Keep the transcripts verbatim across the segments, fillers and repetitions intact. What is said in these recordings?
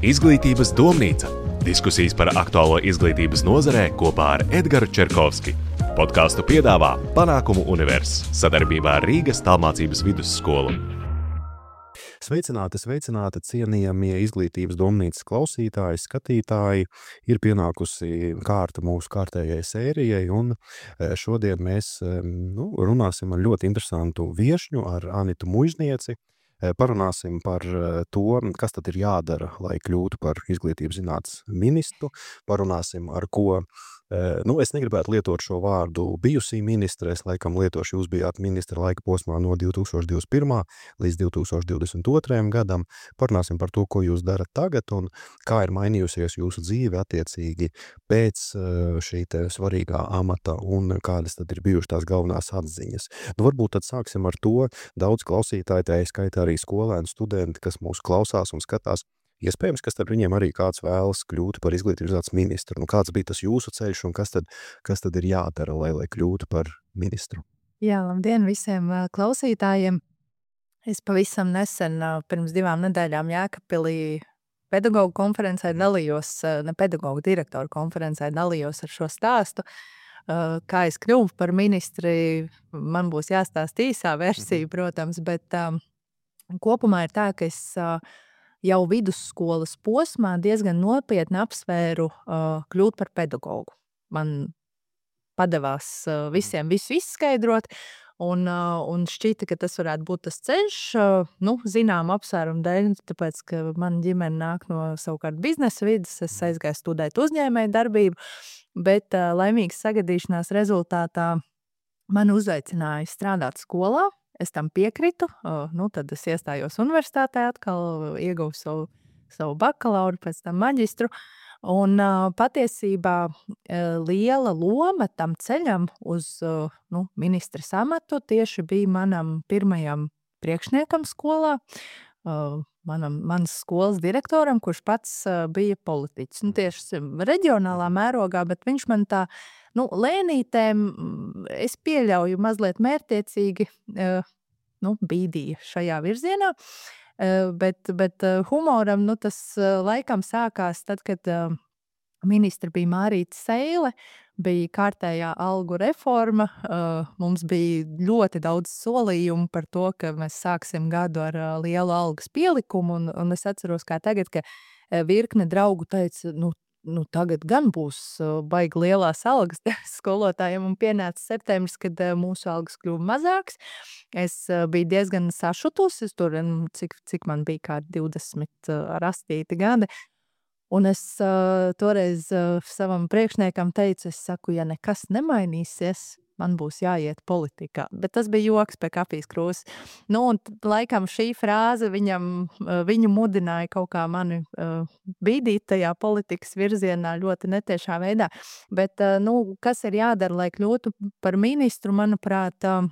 Izglītības domnīca – diskusijas par aktuālo izglītības nozarē kopā ar Edgaru Čerkovski. Podcastu piedāvā Panākumu Univers sadarbībā ar Rīgas tālmācības vidusskolu. Sveicināti, sveicināti, cienījamie izglītības domnīcas klausītāji, skatītāji. Ir pienākusi kārta mūsu kārtējai sērijai, un šodien mēs nu, runāsim ar ļoti interesantu viešņu, ar Anitu Muiznieci. Parunāsim par to, kas tad ir jādara, lai kļūtu par izglītības zinātnes ministru. Parunāsim, ar ko, nu, es negribētu lietot šo vārdu bijusī ministre, es laikam lietošu, jūs bijāt ministra laika posmā no divi tūkstoši divdesmit pirmā līdz divi tūkstoši divdesmit otrajam gadam. Parunāsim par to, ko jūs darat tagad un kā ir mainījusies jūsu dzīve attiecīgi pēc šī te svarīgā amata un kādas tad ir bijušas tās galvenās atziņas. Nu, varbūt tad sāksim ar to, daudz klausītāji, tā skaitā arī skolēni, studenti, kas mūs klausās un skatās. Iespējams, kas tad viņiem arī kāds vēlas kļūt par izglītības zinātnes ministru. Nu, kāds bija tas jūsu ceļš un kas tad, kas tad ir jādara, lai, lai kļūtu par ministru? Jā, labdien visiem klausītājiem. Es pavisam nesen, pirms divām nedēļām Jēkabpilī pedagoģu konferencē dalījos, ne pedagoģu direktoru konferencē dalījos ar šo stāstu. Kā es kļuvu par ministri, man būs jāstāst īsā versija, protams, bet um, kopumā ir tā, ka es uh, jau vidusskolas posmā diezgan nopietni apsvēru uh, kļūt par pedagogu. Man padevās uh, visiem visu izskaidrot, un, uh, un šķita, ka tas varētu būt tas ceļš, uh, nu, zinām apsvērumu dēļ, tāpēc, ka man ģimene nāk no savukārt biznesa vidas, es aizgāju studēt uzņēmēju darbību, bet uh, laimīgas sagadīšanās rezultātā man uzaicināja strādāt skolā. Es tam piekritu, uh, nu, tad es iestājos universitātē atkal, ieguvu savu, savu bakalauru, pēc tam maģistru, un uh, patiesībā uh, liela loma tam ceļam uz uh, nu, ministres amatu tieši bija manam pirmajam priekšniekam skolā, uh, manam, manas skolas direktoram, kurš pats uh, bija politiķis. Nu, tieši reģionālā mērogā, bet viņš man tā, nu, lēnītēm, es pieļauju mazliet mērķiecīgi, uh, nu, bīdīja šajā virzienā, uh, bet, bet uh, humoram, nu, tas uh, laikam sākās tad, kad uh, ministra bija Mārīta Seile, bija kārtējā algu reforma, uh, mums bija ļoti daudz solījumu par to, ka mēs sāksim gadu ar uh, lielu algas pielikumu, un, un es atceros kā tagad, ka uh, virkne draugu teica, nu, nu tagad gan būs uh, baigi lielās algas skolotājiem, un pienāca septembris, kad uh, mūsu algas kļuva mazāks. Es uh, biju diezgan sašutus, es tur, cik, cik man bija kā divdesmit ar astīti gadi, un es uh, toreiz uh, savam priekšniekam teicu, es saku, ja nekas nemainīsies, man būs jāiet politikā. Bet tas bija joks pie kafijas krūzes. Nu, un laikam šī frāze viņam, uh, viņu mudināja kaut kā mani uh, bīdīt tajā politikas virzienā ļoti netiešā veidā. Bet, uh, nu, kas ir jādara, lai kļūtu par ministru, manuprāt, uh,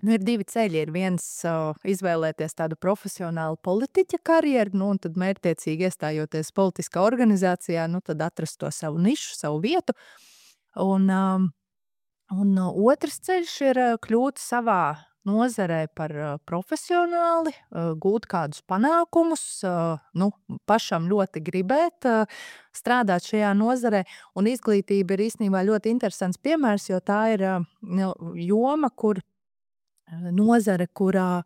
nu, ir divi ceļi. Ir viens uh, izvēlēties tādu profesionālu politiķa karjeru, nu, un tad mērķtiecīgi iestājoties politiskā organizācijā, nu, tad atrast to savu nišu, savu vietu. Un, um, un uh, otrs ceļš ir uh, kļūt savā nozarē par uh, profesionāli, uh, gūt kādus panākumus, uh, nu, pašam ļoti gribēt uh, strādāt šajā nozarē. Un izglītība ir īstenībā ļoti interesants piemērs, jo tā ir uh, joma, kur nozare, kurā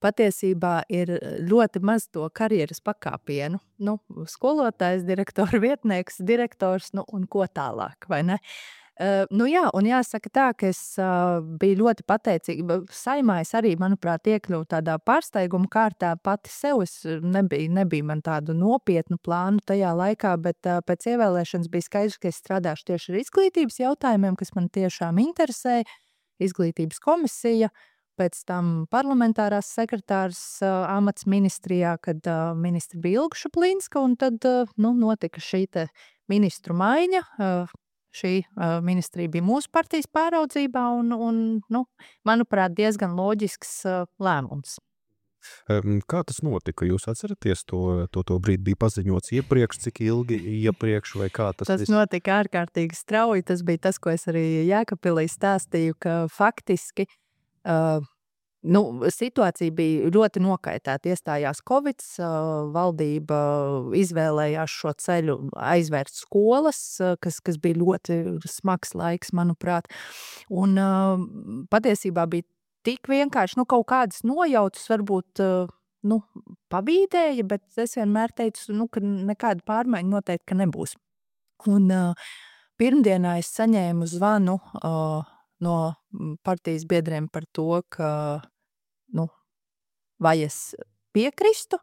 patiesībā ir ļoti maz to karjeras pakāpienu. Nu, skolotājs, direktora vietnieks, direktors, nu, un ko tālāk, vai ne? Uh, nu jā, un jāsaka tā, ka es uh, biju ļoti pateicīga. Saimā es arī, manuprāt, iekļuvu tādā pārsteiguma kārtā pati sev. Es nebija, nebija man tādu nopietnu plānu tajā laikā, bet uh, pēc ievēlēšanas bija skaidrs, ka es strādāšu tieši ar izglītības jautājumiem, kas man tiešām interesē. Izglītības komisija, pēc tam parlamentārās sekretārs uh, amats ministrijā, kad uh, ministra bija Ilga Šuplīnska, un tad uh, nu, notika šī te ministru maiņa. Uh, šī uh, ministrija bija mūsu partijas pāraudzībā, un, un nu, manuprāt, diezgan loģisks uh, lēmums. Um, kā tas notika? Jūs atceraties to, to, to brīdi? Bija paziņots iepriekš, cik ilgi iepriekš, vai kā tas? Tas vis... notika ārkārtīgi strauji. Tas bija tas, ko es arī Jēkabpilī stāstīju, ka faktiski Uh, Nu, situācija bija ļoti nokaitēta. Iestājās Covids, valdība izvēlējās šo ceļu aizvērt skolas, kas, kas bija ļoti smags laiks, manuprāt. Un patiesībā bija tik vienkārši, nu, kaut kādas nojautas varbūt, nu, pabīdēja, bet es vienmēr teicu, nu, ka nekāda pārmaiņa noteikti, ka nebūs. Un pirmdienā es saņēmu zvanu no partijas biedriem par to, ka nu, vai es piekristu.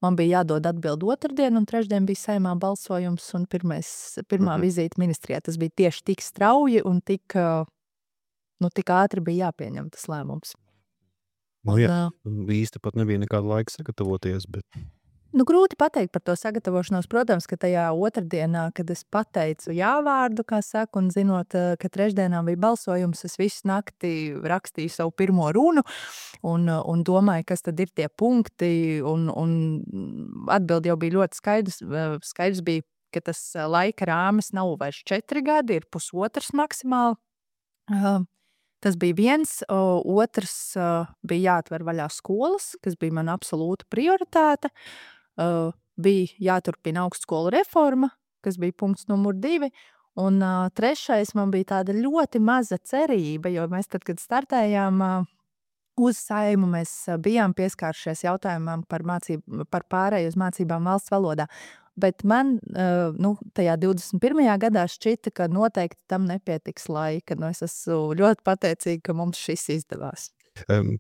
Man bija jādod atbildi otrdien, un trešdien bija Saeimā balsojums, un pirmais, pirmā Mhm. vizīte ministrijā. Tas bija tieši tik strauji un tik, nu, tik ātri bija jāpieņem tas lēmums. Nu, jā, Un, īsti pat nebija nekāda laika sagatavoties, bet Nu, grūti pateikt par to sagatavošanos. Protams, ka tajā otrdienā, kad es pateicu jā vārdu, kā saka, un zinot, ka trešdienā bija balsojums, es visu nakti rakstīju savu pirmo runu un, un domāju, kas tad ir tie punkti, un, un atbildi jau bija ļoti skaidrs. Skaidrs bija, ka tas laika rāmis nav vairs četri gadi, ir pusotrs maksimāli. Tas bija viens, otrs bija jāatver vaļā skolas, kas bija mana absolūta prioritāte. Uh, bija jāturpina augstskolu reforma, kas bija punkts numur divi, un uh, trešais man bija tāda ļoti maza cerība, jo mēs tad, kad startējām uh, uz Saimu, mēs uh, bijām pieskāršies jautājumam par, mācību, par pārēju uz mācībām valsts valodā, bet man uh, nu, tajā divdesmit pirmajā gadā šķita, ka noteikti tam nepietiks laika, nu es esmu ļoti pateicīga, ka mums šis izdevās.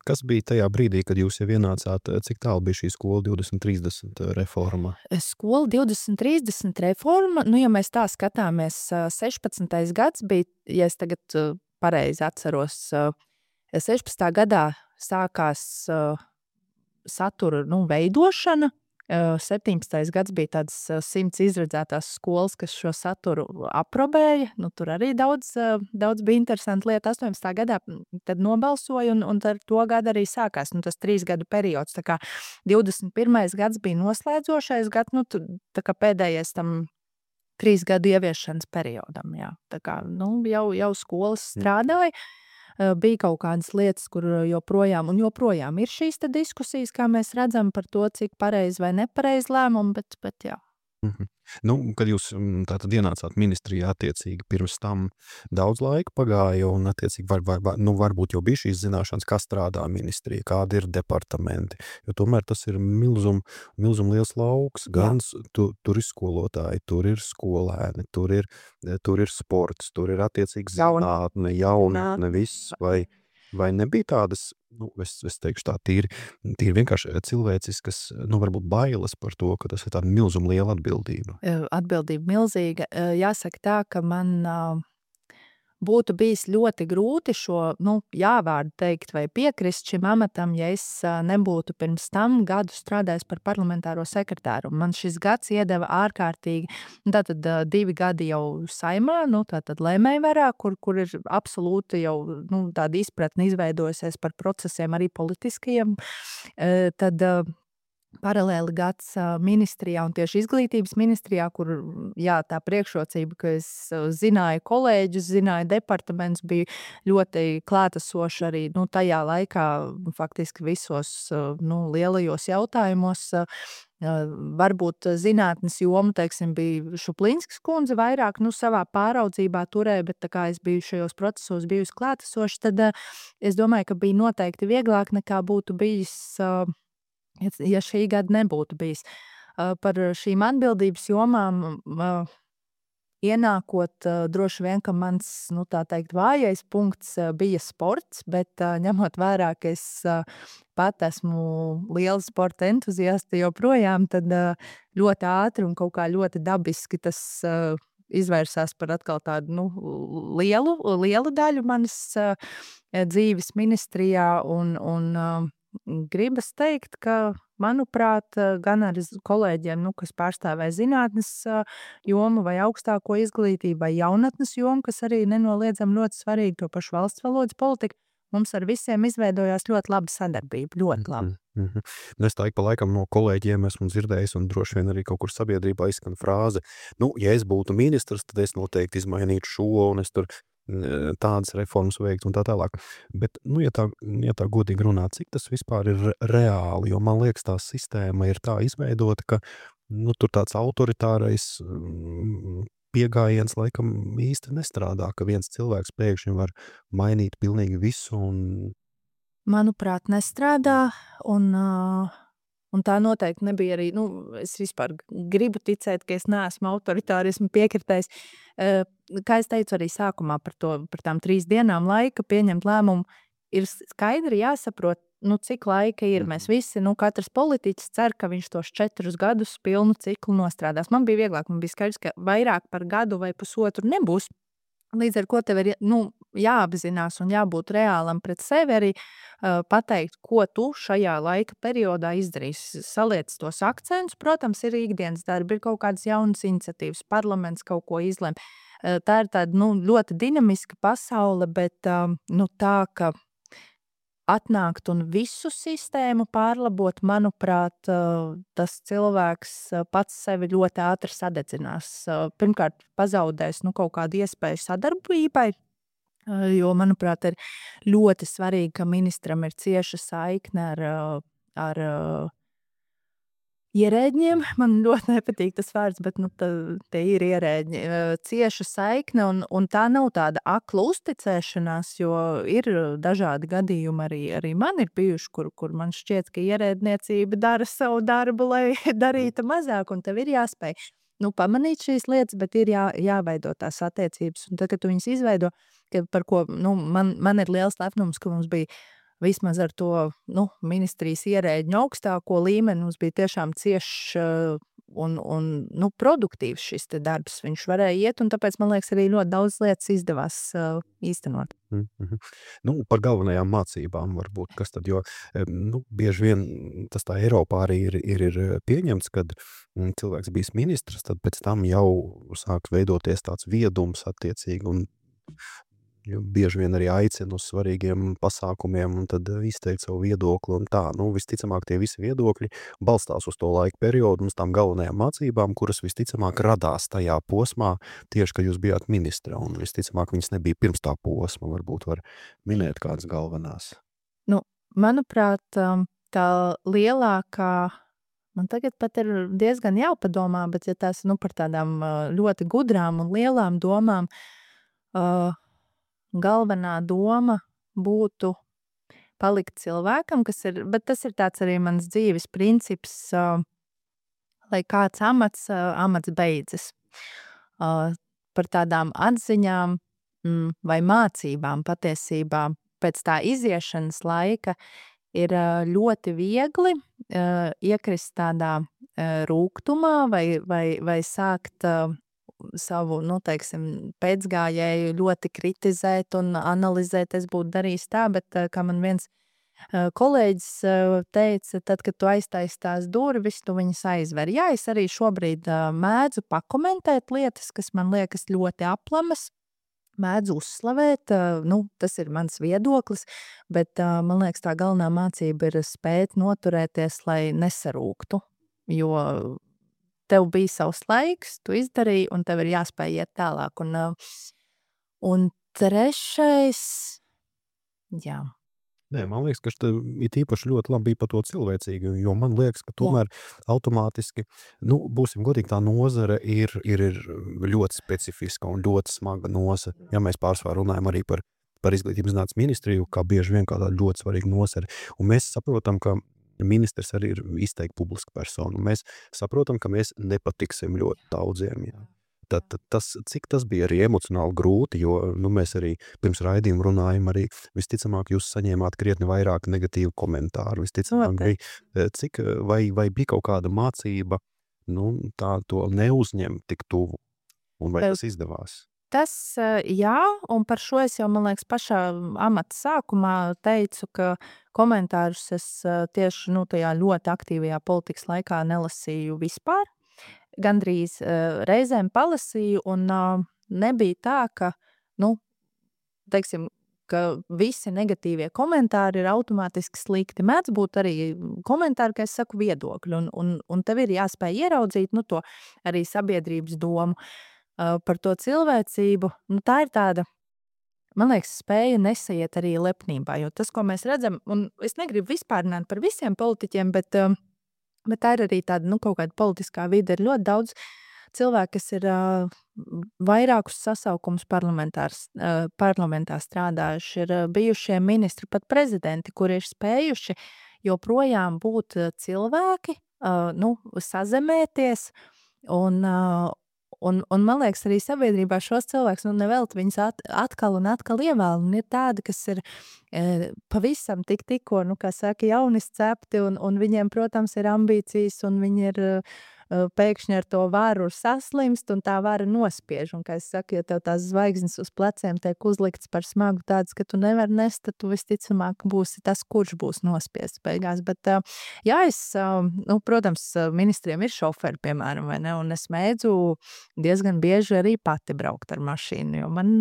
Kas bija tajā brīdī, kad jūs jau ienācāt, cik tālu bija šī skola divdesmit trīsdesmit reforma? Skola divdesmit trīsdesmit reforma, nu, ja mēs tā skatāmies, sešpadsmitais gads bija, ja es tagad pareizi atceros, sešpadsmitā gadā sākās satura, nu, veidošana, septiņpadsmitais gads bija tādas simts izredzētās skolas, kas šo saturu aprobēja. Nu, tur arī daudz, daudz bija interesanti lieta. astoņpadsmitā gadā tad nobalsoja, un, un ar to gadu arī sākās nu, tas trīs gadu periods. Tā kā divdesmit pirmais gads bija noslēdzošais gads, nu, tā kā pēdējais tam trīs gadu ieviešanas periodam. Jā. Tā kā nu, jau, jau skolas strādāja. Bija kaut kādas lietas, kur joprojām un joprojām ir šīs te diskusijas, kā mēs redzam par to, cik pareizi vai nepareizi lēmumi, bet, bet jā. Mhm. Nu, kad jūs tātad ienācāt ministrijā attiecīgi pirms tam daudz laika pagāja un attiecīgi var, var, var, nu, varbūt jau bija šīs zināšanas, kā strādā ministrija, kādi ir departamenti, jo tomēr tas ir milzum, milzum liels lauks, gan tu, tur ir skolotāji, tur ir skolēni, tur ir, tur ir sports, tur ir attiecīgi zinātne, jaunatne, viss, vai, vai nebija tādas, nu, es, es teikšu tā, tīri, tīri vienkārši cilvēciskas, nu, varbūt bailes par to, ka tas ir tāda milzuma liela atbildība. Atbildība milzīga. Jāsaka tā, ka man būtu bijis ļoti grūti šo, nu, jāvārdu teikt vai piekrist šim amatam, ja es nebūtu pirms tam gadu strādājis par parlamentāro sekretāru. Man šis gads iedeva ārkārtīgi, tātad divi gadi jau Saimā, nu, tātad lēmējvarā, kur, kur ir absolūti jau, nu, tāda izpratne izveidojusies par procesiem arī politiskajiem, tad paralēli gads ministrijā un tieši izglītības ministrijā, kur, jā, tā priekšrocība, ka es zināju kolēģus, zināju departaments, bija ļoti klātesoši arī, nu, tajā laikā faktiski visos, nu, lielajos jautājumos. Varbūt zinātnes joma, teiksim, bija Šuplinskas kundze vairāk, nu, savā pāraudzībā turē, bet tā kā es biju šajos procesos bijusi klātesoši, tad es domāju, ka bija noteikti vieglāk nekā būtu bijis, ja šī gada nebūtu bijis. Par šīm atbildības jomām ienākot, droši vien, ka mans, nu, tā teikt, vājais punkts bija sports, bet ņemot vērā, ka es pat esmu liela sporta entuziasta joprojām, tad ļoti ātri un kaut kā ļoti dabiski tas izvērsās par atkal tādu, nu, lielu, lielu daļu manas dzīves ministrijā un, un gribas teikt, ka, manuprāt, gan ar kolēģiem, nu, kas pārstāvēja zinātnes jomu vai augstāko izglītību vai jaunatnes jomu, kas arī nenoliedzam ļoti svarīgi to pašu valsts valodas politiku, mums ar visiem izveidojās ļoti laba sadarbība, ļoti laba. Mm -hmm. Es tā ik pa laikam no kolēģiem esmu dzirdējis un droši vien arī kaut kur sabiedrībā izskan frāze, nu, ja es būtu ministrs, tad es noteikti izmainītu šo un es tur tādas reformas veikt un tā tālāk. Bet, nu, ja tā, ja tā godīgi runā, cik tas vispār ir reāli, jo man liekas, tā sistēma ir tā izveidota, ka, nu, tur tāds autoritārais mm, piegājiens laikam īsti nestrādā, ka viens cilvēks pēkšņi var mainīt pilnīgi visu un... Manuprāt, nestrādā, un, uh, un tā noteikti nebija arī, nu, es vispār gribu ticēt, ka es neesmu autoritārismu piekritējis. Uh, kā es teicu arī sākumā par to, par tām trīs dienām laika pieņemt lēmumu, ir skaidri jāsaprot, nu, cik laika ir. Mēs visi, nu, katrs politiķis cer, ka viņš tos četrus gadus pilnu ciklu nostrādās. Man bija vieglāk, man bija skaidrs, ka vairāk par gadu vai pusotru nebūs. Līdz ar ko tev ir, nu, jāapzinās un jābūt reālam pret sevi arī uh, pateikt, ko tu šajā laika periodā izdarīsi. Saliec tos akcentus, protams, ir ikdienas darbi, ir kaut kādas jaunas iniciatīvas, parlaments kaut ko izlem. Uh, tā ir tāda, nu, ļoti dinamiska pasaule, bet um, nu, tā, ka atnākt un visu sistēmu pārlabot, manuprāt, uh, tas cilvēks uh, pats sevi ļoti ātri sadedzinās. Uh, pirmkārt, pazaudēs, nu, kaut kādu iespēju sadarbībai, uh, jo, manuprāt, ir ļoti svarīgi, ka ministram ir cieša saikne ar, uh, ar uh, ierēģiem. Man ļoti nepatīk tas vārds, bet, nu, tā, tie ir ierēģi. Uh, cieša saikne, un, un tā nav tāda akla uzticēšanās, jo ir dažādi gadījumi arī, arī man ir bijuši, kur, kur man šķiet, ka ierēdniecība dara savu darbu, lai darītu mazāk, un tev ir jāspēj, nu, pamanīt šīs lietas, bet ir jā, jāveido tās attiecības. Un tad, kad tu viņas izveido, ka par ko, nu, man, man ir liels lepnums, ka mums bija vismaz ar to, nu, ministrijas ierēģņu augstāko līmeni, mums bija tiešām ciešs uh, un, un, nu, produktīvs šis te darbs. Viņš varēja iet, un tāpēc, man liekas, arī ļoti daudz lietas izdevās uh, īstenot. Mm-hmm. Nu, par galvenajām mācībām varbūt, kas tad, jo, nu, bieži vien tas tā Eiropā arī ir, ir, ir pieņemts, kad cilvēks bijis ministrs, tad pēc tam jau sāk veidoties tāds viedums attiecīgi, un bieži vien arī aicina uz svarīgiem pasākumiem un tad izteikt savu viedokli un tā. Nu, visticamāk, tie visi viedokļi balstās uz to laika periodu un uz tām galvenajām mācībām, kuras visticamāk radās tajā posmā tieši, kad jūs bijāt ministra, un visticamāk viņas nebija pirms tā posma, varbūt var minēt kādas galvenās. Nu, manuprāt, tā lielākā, man tagad pat ir diezgan jāpadomā, bet ja tās, nu, par tādām ļoti gudrām un lielām domām, uh, galvenā doma būtu palikt cilvēkam, kas ir, bet tas ir tāds arī mans dzīves princips, uh, lai kāds amats, uh, amats beidzas. Uh, par tādām atziņām mm, vai mācībām patiesībā pēc tā iziešanas laika ir uh, ļoti viegli uh, iekrist tādā uh, rūgtumā vai, vai, vai sākt uh, savu, nu, teiksim, pēcgājēju ļoti kritizēt un analizēt, es būtu darījis tā, bet kā man viens uh, kolēģis uh, teica, tad, kad tu aiztaisi tās durvis, tu viņas aizver. Jā, es arī šobrīd uh, mēdzu pakomentēt lietas, kas man liekas ļoti aplamas, mēdzu uzslavēt, uh, nu, tas ir mans viedoklis, bet uh, man liekas, tā galvenā mācība ir spēt noturēties, lai nesarūktu, jo tev bija savs laiks, tu izdarīji, un tev ir jāspēj iet tālāk. Un, un trešais, jā. Nē, man liekas, ka šeit ir īpaši ļoti labi par to cilvēcīgi, jo man liekas, ka tomēr jā. Automātiski, nu, būsim godīgi, tā nozare ir, ir, ir ļoti specifiska un ļoti smaga nozare. Ja mēs pārsvarā runājam arī par, par izglītības zinātnes ministriju, kā bieži vien kā tāda ļoti svarīga nozare. Un mēs saprotam, ka ministrs arī ir izteikti publiska persona. Mēs saprotam, ka mēs nepatiksim ļoti daudziem. Jā. Tad, tad tas, cik tas bija arī emocionāli grūti, jo nu, mēs arī pirms raidījuma runājam, arī visticamāk jūs saņēmāt krietni vairāk negatīvu komentāru. Visticamāk, bija, cik, vai, vai bija kaut kāda mācība, nu, tā to neuzņemt tik tuvu, un vai tas izdevās? Tas, jā, un par šo es jau, man liekas, pašā amata sākumā teicu, ka komentārus es tieši, nu, tajā ļoti aktīvajā politikas laikā nelasīju vispār. Gandrīz reizēm palasīju, un nebija tā, ka, nu, teiksim, ka visi negatīvie komentāri ir automātiski slikti. Mēdz būt arī komentāri, ka es saku viedokļu, un, un, un tev ir jāspēj ieraudzīt, nu, to arī sabiedrības domu. Uh, par to cilvēcību, nu, tā ir tāda man liekas, spēja nesaiet arī lepnībā, jo tas, ko mēs redzam, un es negribu vispārināt par visiem politiķiem, bet, um, bet tā ir arī tāda, nu, kaut kāda politiskā vide. Ir ļoti daudz cilvēki, kas ir uh, vairākus sasaukumus parlamentārs, uh, parlamentā strādājuši, ir uh, bijušie ministri, pat prezidenti, kuri ir spējuši joprojām būt uh, cilvēki, uh, nu, sazemēties un, uh, un, un man liekas, arī sabiedrībā šos cilvēkus, nu, nevelti viņus at, atkal un atkal ievēl, un ir tādi, kas ir e, pavisam tik tikko, nu, kā saka, jaunis cepti, un, un viņiem, protams, ir ambīcijas, un viņi ir e, pēkšņi ar to varu saslimst, un tā vara nospiež, un, kā es saku, ja tev tās zvaigznes uz pleciem tiek uzlikts par smagu tāds, ka tu nevar nest, tad tu visticamāk būsi tas, kurš būs nospiests beigās, bet, e, jā, es, e, nu, protams, ministriem ir šoferi, piemēram, vai ne, un es mēdzu diezgan bieži arī pati braukt ar mašīnu, jo man,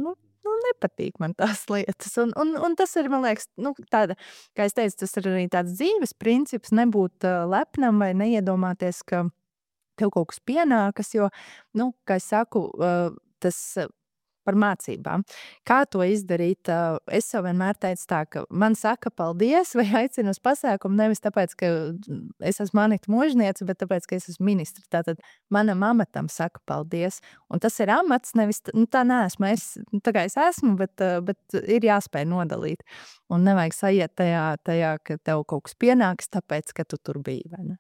nu, nu nepatīk man tās lietas. Un, un, un tas ir, man liekas, nu, tāda, kā es teicu, tas ir arī tāds dzīves princips, nebūt uh, lepnam vai neiedomāties, ka tev kaut kas pienākas, jo, nu, kā es saku, uh, tas uh, par mācībām. Kā to izdarīt? Uh, es jau vienmēr teicu tā, ka man saka paldies vai aicina uz pasākumu nevis tāpēc, ka es esmu Anita Možniece, bet tāpēc, ka es esmu ministra. Tātad manam amatam saka paldies. Un tas ir amats, nevis, nu, tā neesmu es, tā kā es esmu, bet, uh, bet ir jāspēj nodalīt. Un nevajag sajiet tajā, tajā, ka tev kaut kas pienāks, tāpēc, ka tu tur biji, vai ne?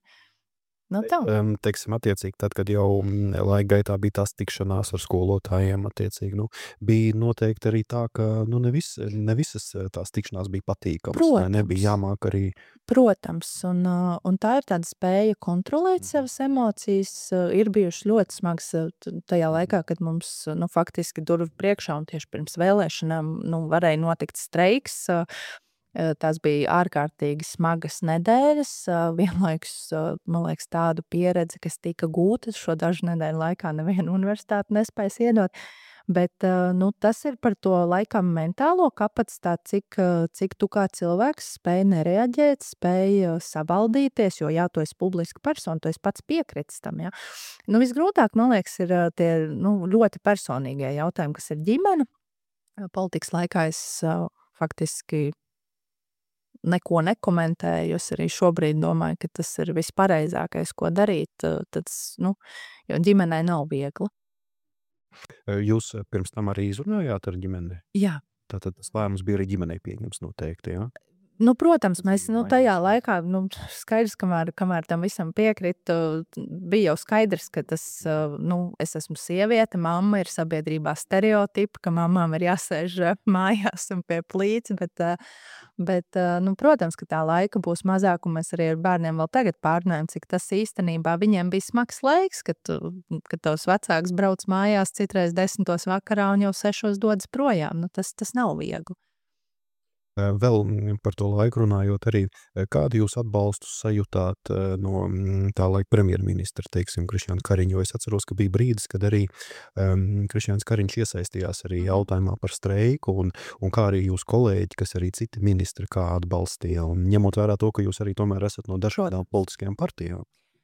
Nu, tā. Um, teiksim, attiecīgi, tad, kad jau mm, laika gaitā bija tās tikšanās ar skolotājiem, attiecīgi, nu, bija noteikti arī tā, ka, nu, ne, vis, ne visas tās tikšanās bija patīkamas, vai Protams. nebija jāmāk arī. Protams, un, uh, un tā ir tāda spēja kontrolēt savas emocijas. Uh, ir bijušas ļoti smagas uh, t- tajā laikā, kad mums, uh, nu, faktiski durvju priekšā un tieši pirms vēlēšanām, nu, varēja notikt streiks. Uh, uh, Tās bija ārkārtīgi smagas nedēļas. Uh, Vienlaikus, uh, man liekas, tādu pieredzi, kas tika gūta šo dažu nedēļu laikā, neviena universitāte nespējas iedot. Bet, uh, nu, tas ir par to laikam mentālo kapacitāti, cik, uh, cik tu kā cilvēks spēj nereaģēt, spēj uh, savaldīties, jo, jā, tu esi publiska persona, tu esi pats piekritis tam, jā. Nu, visgrūtāk, man liekas, ir uh, tie, nu, ļoti personīgie jautājumi, kas ir ģimene. Uh, Politikas laikā es uh, faktiski neko nekomentēju. Es arī šobrīd domāju, ka tas ir vispareizākais, ko darīt. uh, Tad, nu, jo ģimenei nav viegli. Jūs eh, pirms tam arī izrunājāt ar ģimeni? Jā. Tātad tas lēmums bija arī ģimenei pieņems noteikti, jā? Nu, protams, Tas mēs bija nu, tajā mainīts. laikā, nu, skaidrs, kamēr, kamēr tam visam piekritu, bija jau skaidrs, ka tas, uh, nu, es esmu sieviete, mamma ir sabiedrībā stereotipi, ka mamām ir jāsēž uh, mājās un pie plīts, bet, uh, bet uh, nu, protams, ka tā laika būs mazāk, un mēs arī ar bērniem vēl tagad pārnājam, cik tas īstenībā viņiem bija smags laiks, kad, tu- kad tavs vecāks brauc mājās citreiz desmitos vakarā un jau sešos dodas projām. Nu, tas, tas nav viegli. Eh, Vēl mm, par to laiku runājot arī, eh, kādu jūs atbalstu sajūtāt eh, no mm, tā laika premjerministra, teiksim, Krišjāna Kariņa, jo es atceros, ka bija brīdis, kad arī um, Krišjāns Kariņš iesaistījās arī jautājumā par streiku, un, un kā arī jūs kolēģi, kas arī citi ministri kā atbalstīja, un ņemot vērā to, ka jūs arī tomēr esat no dažādām politiskajām partijām.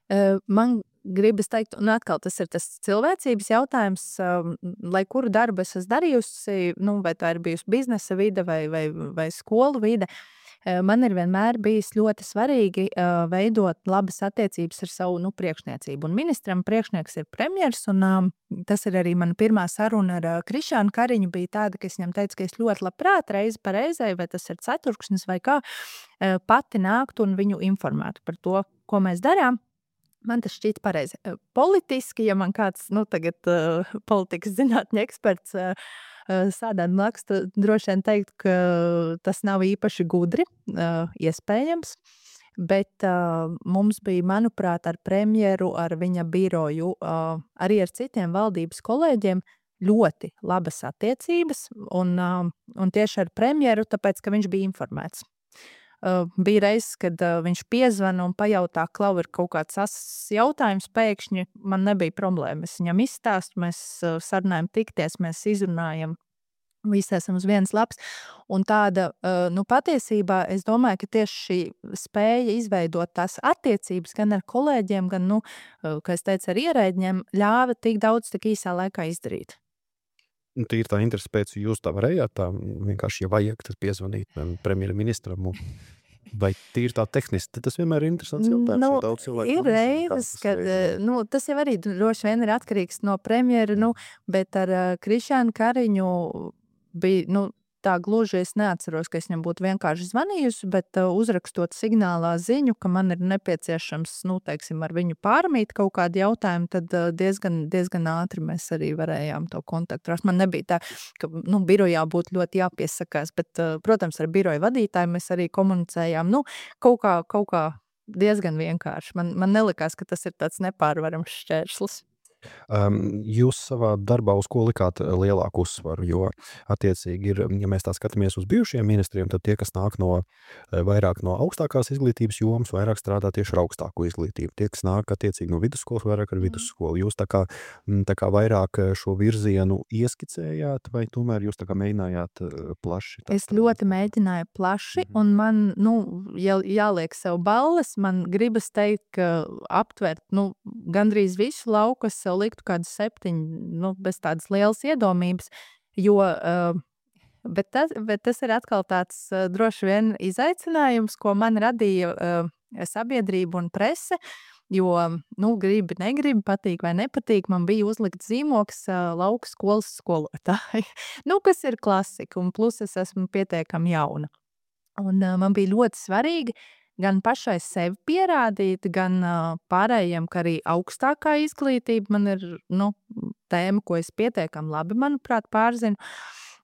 Uh, Man gribas teikt, un atkal tas ir tas cilvēcības jautājums, um, lai kuru darbu es esmu darījusi, nu, vai tā ir bijusi biznesa vide vai, vai, vai skolu vide, uh, man ir vienmēr bijis ļoti svarīgi uh, veidot labas attiecības ar savu, nu, priekšniecību. Un ministram priekšnieks ir premjers, un um, tas ir arī mana pirmā saruna ar uh, Krišjānu Kariņu bija tāda, ka es viņam teicu, ka es ļoti labprāt reizi pa reizei, vai tas ir ceturkšnis vai kā, uh, pati nāktu un viņu informētu par to, ko mēs darām. Man tas šķiet pareizi. Eh, Politiski, ja man kāds, nu, tagad uh, politikas zinātņu eksperts uh, uh, sādām blakus, tad droši vien teikt, ka tas nav īpaši gudri, uh, iespējams. Bet uh, mums bija, manuprāt, ar premjeru, ar viņa biroju, uh, arī ar citiem valdības kolēģiem ļoti labas attiecības. Un, uh, un tieši ar premjeru, tāpēc, ka viņš bija informēts. Uh, bija reizes, kad uh, viņš piezvana un pajautā, klau, ir kaut kāds asas jautājums pēkšņi, man nebija problēma. Es viņam izstāstu, mēs uh, sarunājam tikties, mēs izrunājam, visi esam uz vienas lapas. Un tāda, uh, nu, patiesībā, es domāju, ka tieši šī spēja izveidot tās attiecības gan ar kolēģiem, gan, nu, uh, kā es teicu, ar ierēģiem, ļāva tik daudz tik īsā laikā izdarīt. tīri tā interesi pēc, jūs tā varējāt tā vienkārši, ja vajag, tad piezvanīt premjerministram un vai tīri tā tehniski, tas vienmēr ir interesants jautājums, Nu, jo daudz cilvēku ir nav nezina, kā reizes, tas kad, veidojas. nu, tas jau arī droši vien ir atkarīgs no premjera, nu, bet ar uh, Krišjānu Kariņu bija, nu, tā gluži es neatceros, ka es viņam būtu vienkārši zvanījusi, bet uh, uzrakstot signālā ziņu, ka man ir nepieciešams, nu, teiksim, ar viņu pārmīt kaut kādu jautājumu, tad uh, diezgan, diezgan ātri mēs arī varējām to kontaktu rast. Man nebija tā, ka, nu, birojā būtu ļoti jāpiesakās, bet, uh, protams, ar biroju vadītāju mēs arī komunicējām, nu, kaut kā, kaut kā diezgan vienkārši. Man, man nelikās, ka tas ir tāds nepārvarams šķērslis. Um, jūs savā darbā uz ko likāt lielāku uzsvaru, jo attiecīgi ir, ja mēs tā skatāmies uz bijušiem ministriem, tad tie, kas nāk no vairāk no augstākās izglītības jomas, vairāk strādā tieši ar augstāko izglītību. Tie, kas nāk attiecīgi no vidusskolas, vairāk ar vidusskolu. Jūs tā kā, tā kā vairāk šo virzienu ieskicējāt, vai tomēr jūs tā kā mēģinājāt plaši? Tā, Es ļoti mēģināju plaši, Mhm. un man, nu, ja jāliek sev balles, man gribas teikt, ka aptvert, nu, gandrīz visu lauku, es sev liktu kādu septiņu, nu, bez tādas lielas iedomības, jo, uh, bet, tas, bet tas ir atkal tāds uh, droši vien izaicinājums, ko man radīja uh, sabiedrība un prese, jo, nu, gribi, negribi, patīk vai nepatīk, man bija uzlikt zīmoks uh, lauku skolas skolotāji, nu, kas ir klasika, un plus es esmu pietiekami jauna. Un uh, man bija ļoti svarīgi gan pašai sevi pierādīt, gan uh, pārējiem, ka arī augstākā izglītība man ir, nu, tēma, ko es pietiekami labi, manuprāt, pārzinu.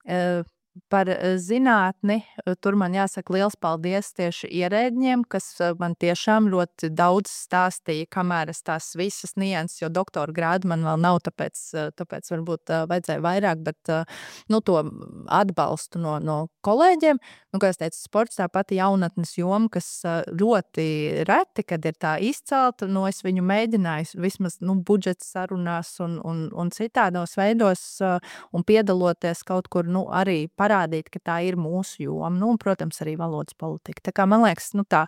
Uh, Par uh, zinātni, uh, tur man jāsaka liels paldies tieši ierēdņiem, kas uh, man tiešām ļoti daudz stāstīja, kamēr es tās visas nianses, jo doktora grādu man vēl nav, tāpēc, uh, tāpēc varbūt uh, vajadzēja vairāk, bet, uh, nu, to atbalstu no, no kolēģiem. Nu, kā es teicu, sports tā pati jaunatnes joma, kas uh, ļoti reti, kad ir tā izcelta, nu, es viņu mēģināju vismaz, nu, budžeta sarunās un, un, un citādos veidos uh, un piedaloties kaut kur, nu, arī parādīt, ka tā ir mūsu joma, nu, un, protams, arī valodas politika. Tā kā, man liekas, nu, tā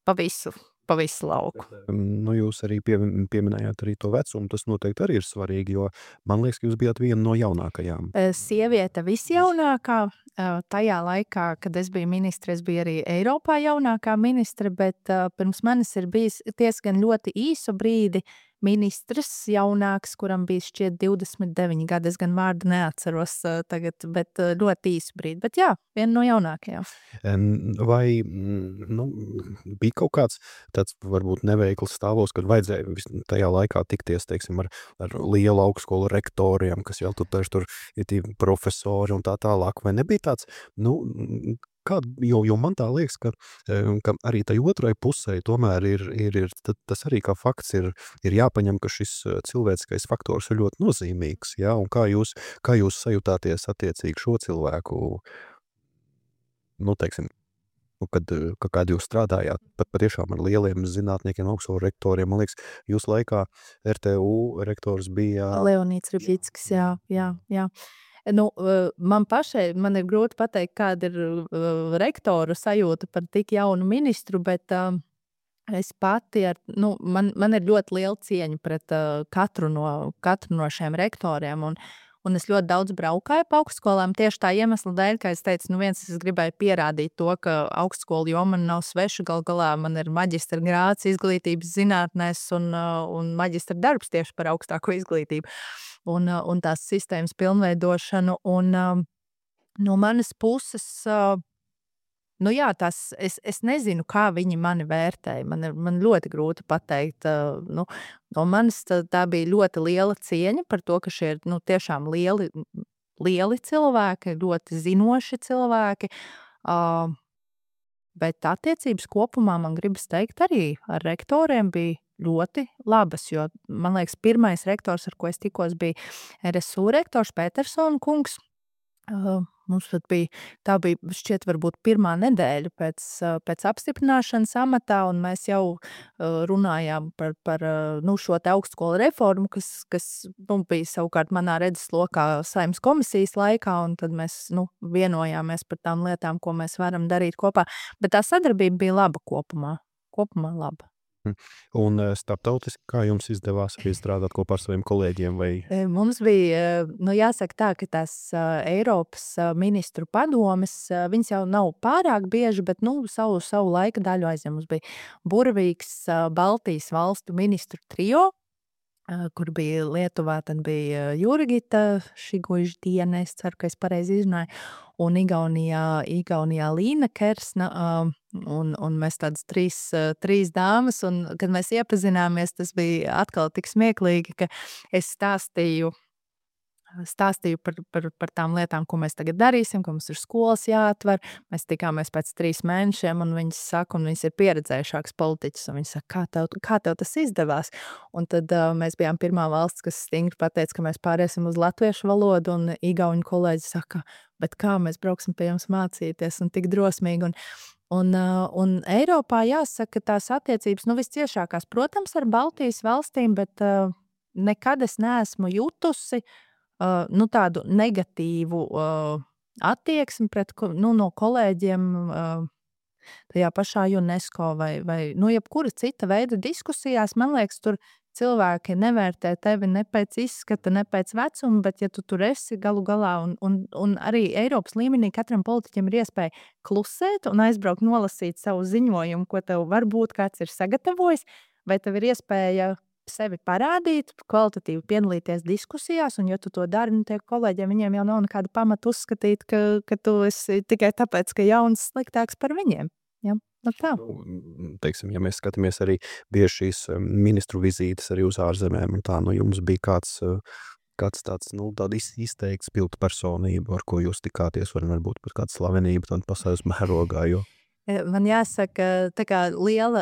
pa visu, pa visu lauku. Nu, jūs arī pie, pieminējāt arī to vecumu, tas noteikti arī ir svarīgi, jo man liekas, ka jūs bijāt viena no jaunākajām. Sieviete visjaunākā, tajā laikā, kad es biju ministre, es biju arī Eiropā jaunākā ministre, bet pirms manis ir bijis diezgan ļoti īsu brīdi ministrs jaunāks, kuram bija šķiet divdesmit deviņi gadi, es gan vārdu neatceros tagad, bet ļoti īsu brīdi, bet jā, viena no jaunākajām. Vai, nu, bija kaut kāds tāds varbūt neveikls stāvos, kad vajadzēja tajā laikā tikties, teiksim, ar, ar lielu augstskolu rektoriem, kas jau tur, tur ir tie profesori un tā tālāk, vai nebija tāds, nu, kā, jo, jo man tā liekas, ka, ka arī tai otrai pusē tomēr ir, ir, ir tas arī kā fakts ir, ir jāpaņem, ka šis cilvēciskais faktors ir ļoti nozīmīgs, jā, un kā jūs, kā jūs sajutāties attiecīgi šo cilvēku, nu, teiksim, nu, kad, kad jūs strādājāt pat patiešām ar lieliem zinātniekiem, augstskolu rektoriem, man liekas, jūs laikā R T U rektors bija... Leonīds Ribīckis, jā, jā, jā. Nu, man pašai, man ir grūti pateikt, kāda ir uh, rektora sajūta par tik jaunu ministru, bet uh, es pati, ar, nu, man, man ir ļoti liela cieņa pret uh, katru, no, katru no šiem rektoriem, un, un es ļoti daudz braukāju pa augstskolām tieši tā iemesla dēļ, kā es teicu, nu viens, es gribēju pierādīt to, ka augstskolu joma man nav sveša, gal galā man ir maģistra grāds izglītības zinātnēs un, uh, un maģistra darbs tieši par augstāko izglītību. Un, un tās sistēmas pilnveidošanu, un um, no manas puses, uh, nu jā, tās, es, es nezinu, kā viņi mani vērtēja, man, ir, man ļoti grūti pateikt, uh, nu, no manas tā, tā bija ļoti liela cieņa par to, ka šie ir, nu, tiešām lieli, lieli cilvēki, ļoti zinoši cilvēki, uh, bet attiecības kopumā man gribas teikt arī ar rektoriem bija ļoti labas, jo, man liekas, pirmais rektors, ar ko es tikos, bija R S U rektors Petersona kungs. Uh, mums pat bija, tā bija šķiet varbūt pirmā nedēļa pēc, uh, pēc apstiprināšanas amatā, un mēs jau uh, runājām par, par uh, nu, šo te augstskolu reformu, kas, kas nu, bija savukārt manā redzeslokā Saeimas komisijas laikā, un tad mēs nu, vienojāmies par tām lietām, ko mēs varam darīt kopā. Bet tā sadarbība bija laba kopumā. Kopumā laba. Un eh, starptautiski, kā jums izdevās arī strādāt kopā ar saviem kolēģiem? Vai... E, Mums bija, e, nu jāsaka tā, ka tās e, Eiropas e, ministru padomes, e, viņas jau nav pārāk bieži, bet nu, savu, savu laika daļu aizņem. Mums bija burvīgs e, Baltijas valstu ministru trio, e, kur bija Lietuvā, tad bija Jurgita Šiguždiene, es ceru, ka es pareizi izrunāju, un Igaunijā, Igaunijā Līna Kersna, uh, un, un mēs tādas trīs, uh, trīs dāmas, un kad mēs iepazināmies, tas bija atkal tik smieklīgi, ka es stāstīju, stāstīju par, par, par tām lietām, ko mēs tagad darīsim, ka mums ir skolas jāatver. Mēs tikāmies pēc trīs mēnešiem, un viņas saka, un viņas ir pieredzējušāks politiķis, un viņas saka, kā tev, kā tev tas izdevās? Un tad uh, mēs bijām pirmā valsts, kas stingri pateica, ka mēs pāriesim uz latviešu valodu, un igauņu kolēģi saka, bet kā mēs brauksim pie jums mācīties, un tik drosmīgi. Un, un, uh, un Eiropā jāsaka, tās attiecības, nu visciešākās, protams, ar Baltijas valstīm, bet uh, nekad es neesmu jutusi Uh, nu, tādu negatīvu uh, attieksmi pret, nu, no kolēģiem uh, tajā pašā UNESCO vai, vai nu, jebkura cita veida diskusijās. Man liekas, tur cilvēki nevērtē tevi ne pēc izskata, ne pēc vecuma, bet ja tu tur esi galu galā, un, un, un arī Eiropas līmenī katram politiķim ir iespēja klusēt un aizbraukt nolasīt savu ziņojumu, ko tev varbūt kāds ir sagatavojis, vai tev ir iespēja sevi parādīt, kvalitatīvi piedalīties diskusijās, un ja tu to dari, nu tie kolēģiem, viņiem jau nav nekāda pamata uzskatīt, ka, ka tu esi tikai tāpēc, ka jauns sliktāks par viņiem. Ja? Nu tā. Nu, teiksim, ja mēs skatāmies arī bieži šīs ministru vizītes arī uz ārzemēm, un tā, nu jums bija kāds, kāds tāds, nu, tāda izteikts pilta personība, ar ko jūs tikāties, var varbūt pat kāda slavenība, tāda pasaules mērogā, jo Man jāsaka, tā kā liela,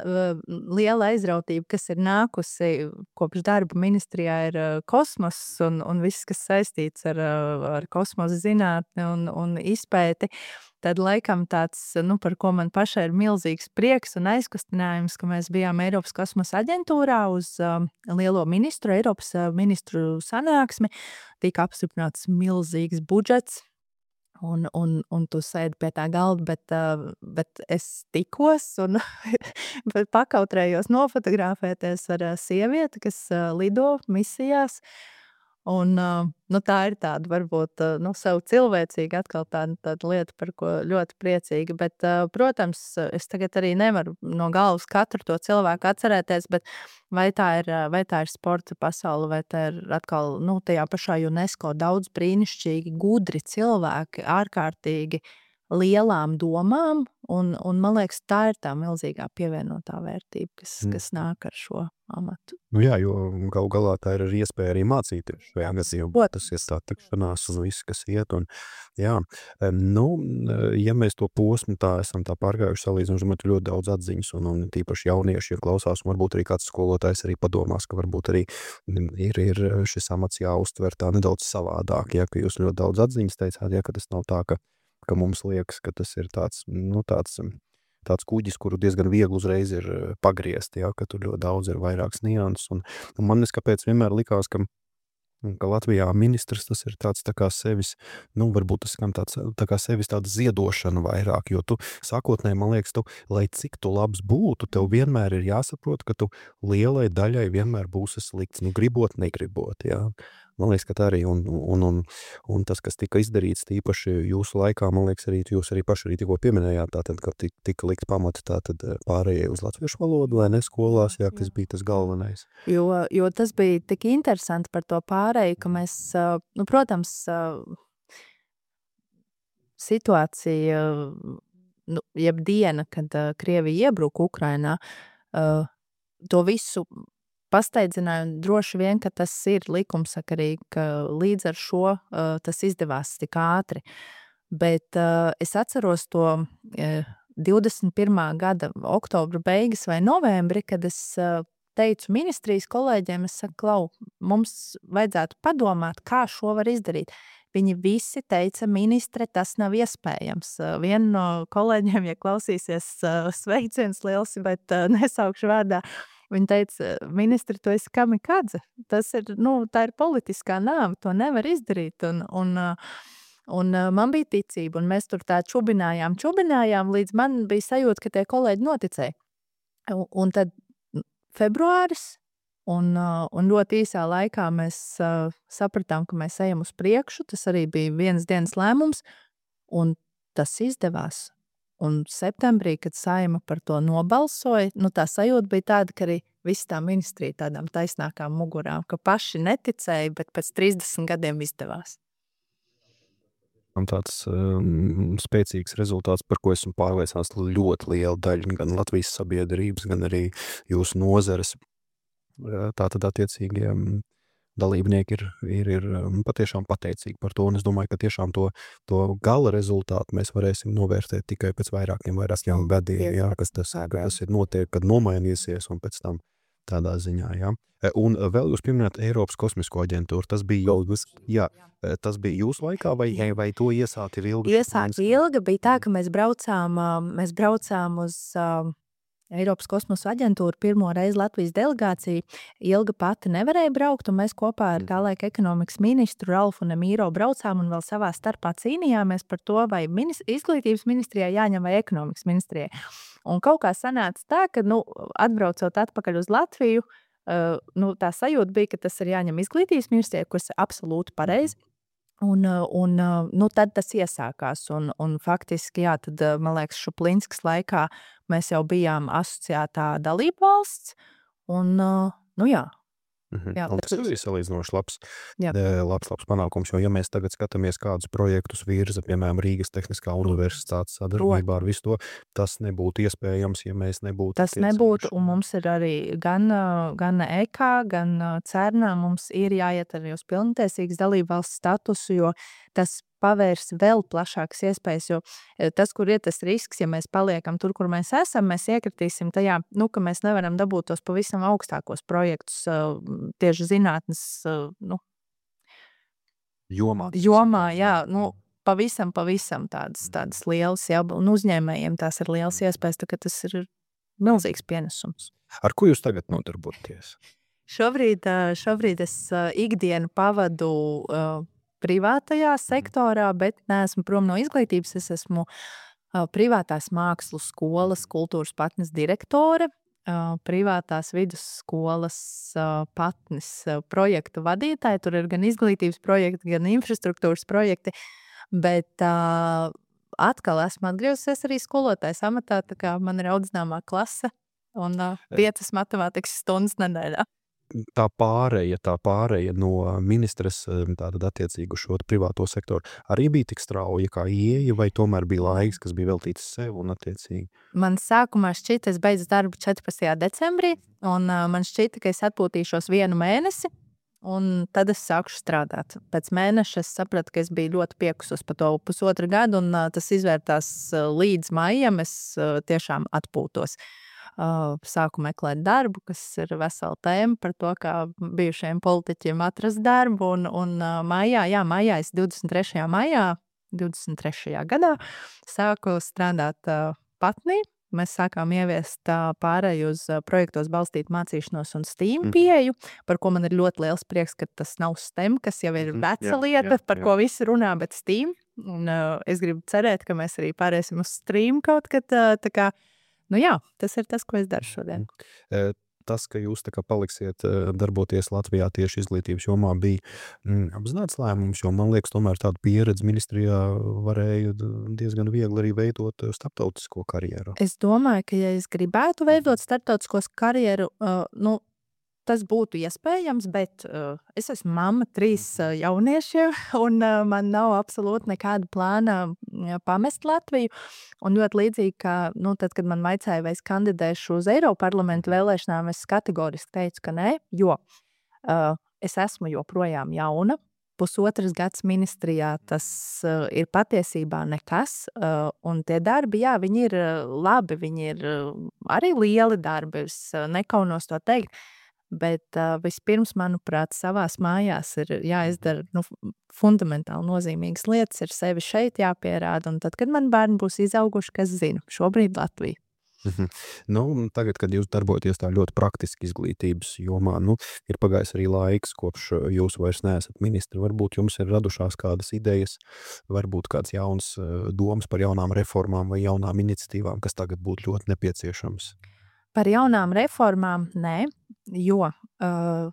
liela aizrautība, kas ir nākusi kopš darba ministrijā, ir kosmos un, un viss, kas saistīts ar, ar kosmosa zinātni un, un izpēti. Tad laikam tāds, nu, par ko man pašai ir milzīgs prieks un aizkustinājums, ka mēs bijām Eiropas kosmosa aģentūrā uz um, lielo ministru, Eiropas ministru sanāksmi, tika apstiprināts milzīgs budžets. Un, un, un tu sēdi pie tā galda, bet, uh, bet es tikos un pakautrējos nofotografēties ar uh, sievieti, kas uh, lido misijās. Un, uh, nu, tā ir tāda, varbūt, uh, nu, savu cilvēcīgi atkal tāda, tāda lieta, par ko ļoti priecīga. Bet, uh, protams, es tagad arī nevaru no galvas katru to cilvēku atcerēties, bet vai tā ir, vai tā ir sporta pasaule, vai tā ir atkal, nu, tajā pašā UNESCO daudz brīnišķīgi, gudri cilvēki, ārkārtīgi lielām domām, un, un man liekas, tā ir tā milzīgā pievienotā vērtība, kas, Mm. kas nāk ar šo amatu. Nu jā, jo gal galā tā ir arī iespēja arī mācīties šajā gadījumā. Protams. Tas ir tā tikšanās un viss, kas iet. Un, jā, em, nu, ja mēs to posmu tā esam tā pārgājuši salīdzinoši, man ļoti daudz atziņas, un, un tīpaši jaunieši ir klausās, un varbūt arī kāds skolotājs arī padomās, ka varbūt arī ir, ir šis amats jāuztver tā nedaudz savādāk, ja, ka jūs ļoti daudz atziņas teicāt, ja, ka tas nav tā, ka, ka mums liekas, ka tas ir tāds, nu, tāds tāds kuģis, kuru diezgan viegli uzreiz ir pagriezt, ja, ka tur ļoti daudz ir vairākas nianses. Un, un man neskapēc vienmēr likās, ka, ka Latvijā ministrs tas ir tāds tā kā sevis, nu, varbūt tas skan tāds, tā kā sevis tāda ziedošana vairāk, jo tu sākotnēji, man liekas, tu, lai cik tu labs būtu, tev vienmēr ir jāsaprot, ka tu lielai daļai vienmēr būsi slikts, nu, gribot, negribot, jā. Man liekas, ka tā arī, un, un, un, un tas, kas tika izdarīts tīpaši jūsu laikā, man liekas, arī jūs arī paši arī tikko pieminējāt, tātad, ka tika, tika likt pamati tātad pārējai uz latviešu valodu, vai ne skolās, jā, kas bija tas galvenais. Jo, jo tas bija tik interesanti par to pārēju, ka mēs, nu, protams, situācija, nu, jeb diena, kad Krievija iebruka Ukrainā, to visu pasteidzināju, un droši vien, ka tas ir likumsakarīgi, ka līdz ar šo uh, tas izdevās tik ātri. Bet uh, es atceros to uh, divdesmit pirmā gada oktobra beigas vai novembri, kad es uh, teicu ministrijas kolēģiem, es saku, Klau, mums vajadzētu padomāt, kā šo var izdarīt. Viņi visi teica, ministre, tas nav iespējams. Uh, viena no kolēģiem, ja klausīsies, uh, sveiciens liels, bet uh, nesaukšu vārdā, viņa teica, ministri, tu esi kamikadze. Tas ir, nu, tā ir politiskā nāve, to nevar izdarīt. Un, un, un man bija ticība, un mēs tur tā čubinājām, čubinājām, līdz man bija sajūta, ka tie kolēģi noticēja. Un, un tad februāris, un, uh, un ļoti īsā laikā mēs uh, sapratām, ka mēs ejam uz priekšu. Tas arī bija viens dienas lēmums, un tas izdevās. Un septembrī, kad Saeima par to nobalsoja, nu, tā sajūta bija tāda, ka arī visa tā ministrija tādām taisnākām mugurām, ka paši neticēja, bet pēc trīsdesmit gadiem izdevās. Tāds um, spēcīgs rezultāts, par ko esmu pārliecināts ļoti liela daļa gan Latvijas sabiedrības, gan arī jūsu nozares. Tātad attiecīgie dalībnieki ir, ir, ir patiešām pateicīgi par to, un es domāju, ka tiešām to, to gala rezultātu mēs varēsim novērtēt tikai pēc vairākiem, vairākiem gadiem, jā, kas tas, tas ir notiek, kad nomainīsies, un pēc tam tādā ziņā, jā. Un vēl jūs pieminējāt Eiropas kosmisko aģentūru, tas bija jau, jā, tas bija jūsu laikā, vai, vai to iesākt ir ilgi? Iesākt ilga bija tā, ka mēs braucām, mēs braucām uz Eiropas kosmosa aģentūru pirmo reizi Latvijas delegācija. Ilga pati nevarēja braukt, un mēs kopā ar tā laika ekonomikas ministru Ralfu Nemīro braucām un vēl savā starpā cīnījāmies par to, vai minis, izglītības ministrijai jāņem vai ekonomikas ministrijai. Un kaut kā sanāca tā, ka, nu, atbraucot atpakaļ uz Latviju, uh, nu, tā sajūta bija, ka tas ir jāņem izglītības ministrijai, kas ir absolūti pareizi. Un, un nu, tad tas iesākās. Un, un faktiski, jā, tad, man liekas, Šuplinskas laikā mēs jau bijām asociētā dalība valsts. Un, nu jā. Mhm. Jā, un tas ir salīdzinoši labs, Jā. labs, labs panākums, jo ja mēs tagad skatāmies kādus projektus virza, piemēram, Rīgas Tehniskā universitātes sadarbībā ar visu to, tas nebūtu iespējams, ja mēs nebūtu. Tas nebūtu, un mums ir arī gan, gan E K A, gan CERNā mums ir jāiet arī uz pilntiesīgas dalībvalsts statusu, jo tas pavērs vēl plašākas iespējas, jo tas, kur ir tas risks, ja mēs paliekam tur, kur mēs esam, mēs iekritīsim tajā, nu, ka mēs nevaram dabūt tos pavisam augstākos projektus tieši zinātnes, nu, jomā. Jomā, jā, nu, pavisam, pavisam tādas, tādas lielas, jā, un uzņēmējiem tās ir lielas iespējas, tā ka tas ir milzīgs pienesums. Ar ko jūs tagad nodarboties? Šobrīd, šobrīd es ikdienu pavadu uh, privātajā sektorā, bet neesmu prom no izglītības. Es esmu uh, privātās mākslu skolas kultūras patnes direktore, uh, privātās vidusskolas uh, patnes uh, projektu vadītāja. Tur ir gan izglītības projekti, gan infrastruktūras projekti, bet uh, atkal esmu atgriezusies arī skolotājas amatā, tā kā man ir audzināmā klase un uh, piecas matemātikas stundas nedēļā. Tā pāreja, tā pāreja no ministres tātad attiecīgu šo privāto sektoru arī bija tik strauja kā ieeja, vai tomēr bija laiks, kas bija veltīts sev un attiecīgi? Man sākumā šķita, es beidzu darbu četrpadsmitajā decembrī, un uh, man šķita, ka es atpūtīšos vienu mēnesi, un tad es sākšu strādāt. Pēc mēneša es sapratu, ka es biju ļoti piekusus pa to pusotru gadu, un uh, tas izvērtās uh, līdz maijam, es uh, tiešām atpūtos. Uh, sāku meklēt darbu, kas ir vesela tēma par to, kā bijušajiem politiķiem atrast darbu, un, un uh, maijā, jā, maijā, es divdesmit trešajā maijā, divdesmit trešajā gadā sāku strādāt uh, patnī. Mēs sākām ieviest uh, pārēju uz uh, projektos balstīt mācīšanos un STEAM pieeju, par ko man ir ļoti liels prieks, ka tas nav STEM, kas jau ir veca jā, lieta, jā, par jā. Ko visi runā, bet STEAM. Un uh, es gribu cerēt, ka mēs arī pārēsim uz STREAM kaut kad, uh, tā kā Nu jā, tas ir tas, ko es daru šodien. Tas, ka jūs tā kā paliksiet darboties Latvijā tieši izglītības jomā, bija mm, apzināts lēmums, jo man liekas, tomēr tādu pieredzi ministrijā varēja diezgan viegli arī veidot starptautisko karjeru. Es domāju, ka ja es gribētu veidot starptautisko karjeru, uh, nu, tas būtu iespējams, bet uh, es esmu mamma trīs uh, jauniešiem, un uh, man nav absolūti nekāda plāna uh, pamest Latviju. Un ļoti līdzīgi, ka, nu, tad, kad man vaicāja, vai es kandidēšu uz Eiroparlamentu vēlēšanām, es kategoriski teicu, ka nē, jo uh, es esmu joprojām jauna. Pusotras gads ministrijā tas uh, ir patiesībā nekas, uh, un tie darbi, jā, viņi ir uh, labi, viņi ir uh, arī lieli darbi, es uh, nekaunos to teikt. Bet uh, vispirms, manuprāt, savās mājās ir jāizdara nu, fundamentāli nozīmīgas lietas, ir sevi šeit jāpierāda, un tad, kad man bērni būs izauguši, kas zina, šobrīd Latvija. Mhm. Nu, tagad, kad jūs darbojaties tā ļoti praktiski izglītības jomā, nu, ir pagājis arī laiks, kopš jūs vairs neesat ministri. Varbūt jums ir radušās kādas idejas, varbūt kāds jauns uh, domas par jaunām reformām vai jaunām iniciatīvām, kas tagad būtu ļoti nepieciešams. Par jaunām reformām nē, jo uh,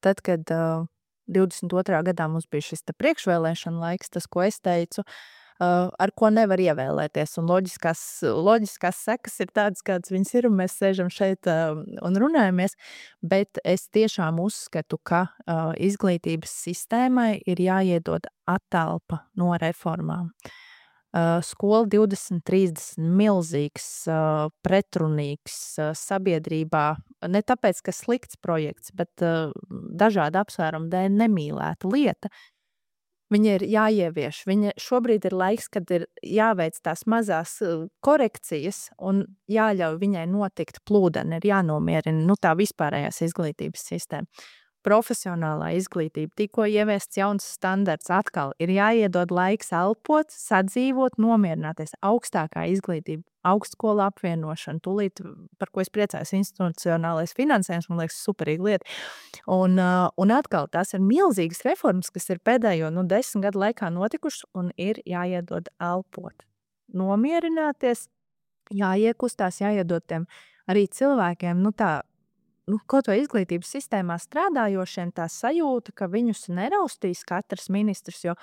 tad, kad uh, divdesmit otrā gadā mums bija šis te priekšvēlēšana laiks, tas, ko es teicu, uh, ar ko nevar ievēlēties. Un loģiskās, loģiskās sekas ir tādas, kādas viņas ir, un mēs sēžam šeit uh, un runājamies. Bet es tiešām uzskatu, ka uh, izglītības sistēmai ir jāiedod attelpa no reformām. Uh, skola divdesmit trīsdesmit milzīgs, uh, pretrunīgs uh, sabiedrībā, ne tāpēc, ka slikts projekts, bet uh, dažādu apsvērumu dēļ nemīlēta lieta. Viņa ir jāievieš. Viņa šobrīd ir laiks, kad ir jāveic tās mazās uh, korekcijas un jāļauj viņai notikt plūdeni, ir jānomierina nu, tā vispārējās izglītības sistēma. Profesionālā izglītība, tikko ieviests jauns standarts, atkal ir jāiedod laiks elpot, sadzīvot, nomierināties. Augstākā izglītība, augstskola apvienošana, tūlīt, par ko es priecājos, institucionālais finansējums, man liekas, superīga lieta. Un, uh, un atkal tās ir milzīgas reformas, kas ir pēdējo nu, desmit gadu laikā notikušas, un ir jāiedod elpot. Nomierināties, jāiekustās, jāiedod tiem arī cilvēkiem, nu tā, nu, kaut vai izglītības sistēmā strādājošiem tā sajūta, ka viņus neraustīs katrs ministrs, jo,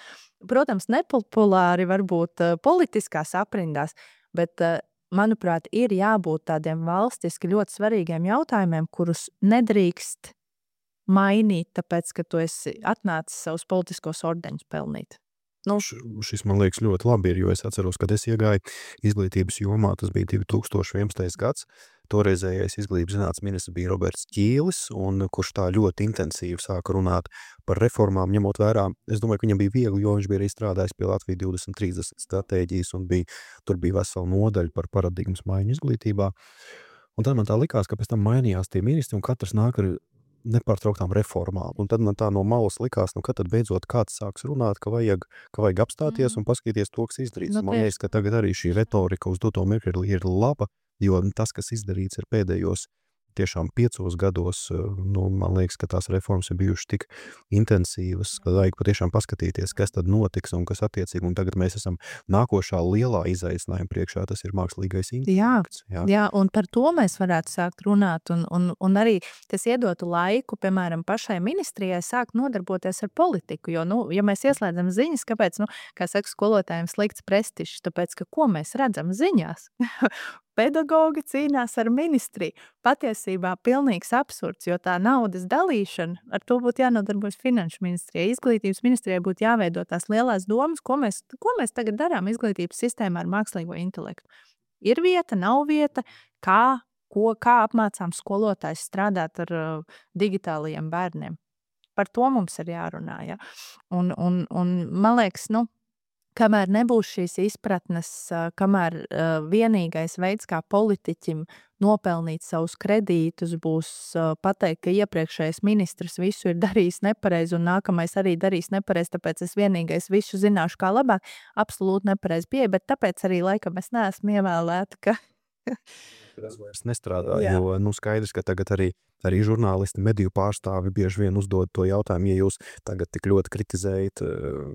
protams, nepopulāri varbūt uh, politiskās aprindās, bet, uh, manuprāt, ir jābūt tādiem valstiski ļoti svarīgiem jautājumiem, kurus nedrīkst mainīt, tāpēc, ka tu esi atnācis savus politiskos ordeņus pelnīt. Nu, šis man liekas ļoti labi ir, jo es atceros, kad es iegāju izglītības jomā, tas bija divi tūkstoši vienpadsmitais gads, toreizējais izglītības zinātnes ministrs bija Roberts Ķīlis, un kurš tā ļoti intensīvi sāka runāt par reformām, ņemot vērā, es domāju, ka viņam bija viegli, jo viņš bija arī strādājis pie Latvijas divdesmit trīsdesmit stratēģijas, un bija, tur bija vesela nodaļa par paradigmas maiņu izglītībā. Un tad man tā likās, ka pēc tam mainījās tie ministri, un katrs nāk ar nepārtrauktām reformām. Un tad man tā no malas likās, nu, kad tad beidzot kāds sāks runāt, ka vajag, ka vajag apstāties mm. un paskatīties to, kas izdarīts. Nu, man liekas, ka tagad arī šī retorika uz doto mirkli ir laba, jo tas, kas izdarīts ir pēdējos tiešām piecos gados, nu, man liekas, ka tās reformas ir bijušas tik intensīvas, ka vajag patiešām paskatīties, kas tad notiks un kas attiecīgi. Un tagad mēs esam nākošā lielā izaicinājuma priekšā, tas ir mākslīgais intelekts. Jā, jā, un par to mēs varētu sākt runāt, un, un, un arī tas iedotu laiku, piemēram, pašai ministrijai sākt nodarboties ar politiku, jo, nu, ja mēs ieslēdzam ziņas, kāpēc, nu, kā saka skolotājiem, slikts prestižs, tāpēc, ka ko mēs redzam ziņās? Pedagogi cīnās ar ministriju. Patiesībā pilnīgs absurds, jo tā naudas dalīšana, ar to būtu jānodarbojas finanšu ministrijai. Izglītības ministrijai būtu jāveido tās lielās domas, ko mēs, ko mēs tagad darām izglītības sistēmā ar mākslīgo intelektu. Ir vieta, nav vieta, kā, ko, kā apmācām skolotājs strādāt ar uh, digitālajiem bērniem. Par to mums ir jārunā. Ja? Un, un, un man liekas, nu, kamēr nebūs šīs izpratnes, kamēr uh, vienīgais veids, kā politiķim nopelnīt savus kredītus, būs uh, pateikt, ka iepriekšējais ministrs visu ir darījis nepareizi un nākamais arī darīs nepareizi, tāpēc es vienīgais visu zināšu kā labāk, absolūti nepareizi pieeja, bet tāpēc arī laikam es neesmu ievēlēta, ka tas vairs nestrādā, Jā. jo nu, skaidrs, ka tagad arī, arī žurnālisti, mediju pārstāvi bieži vien uzdod to jautājumu, ja jūs tagad tik ļoti kritizējat,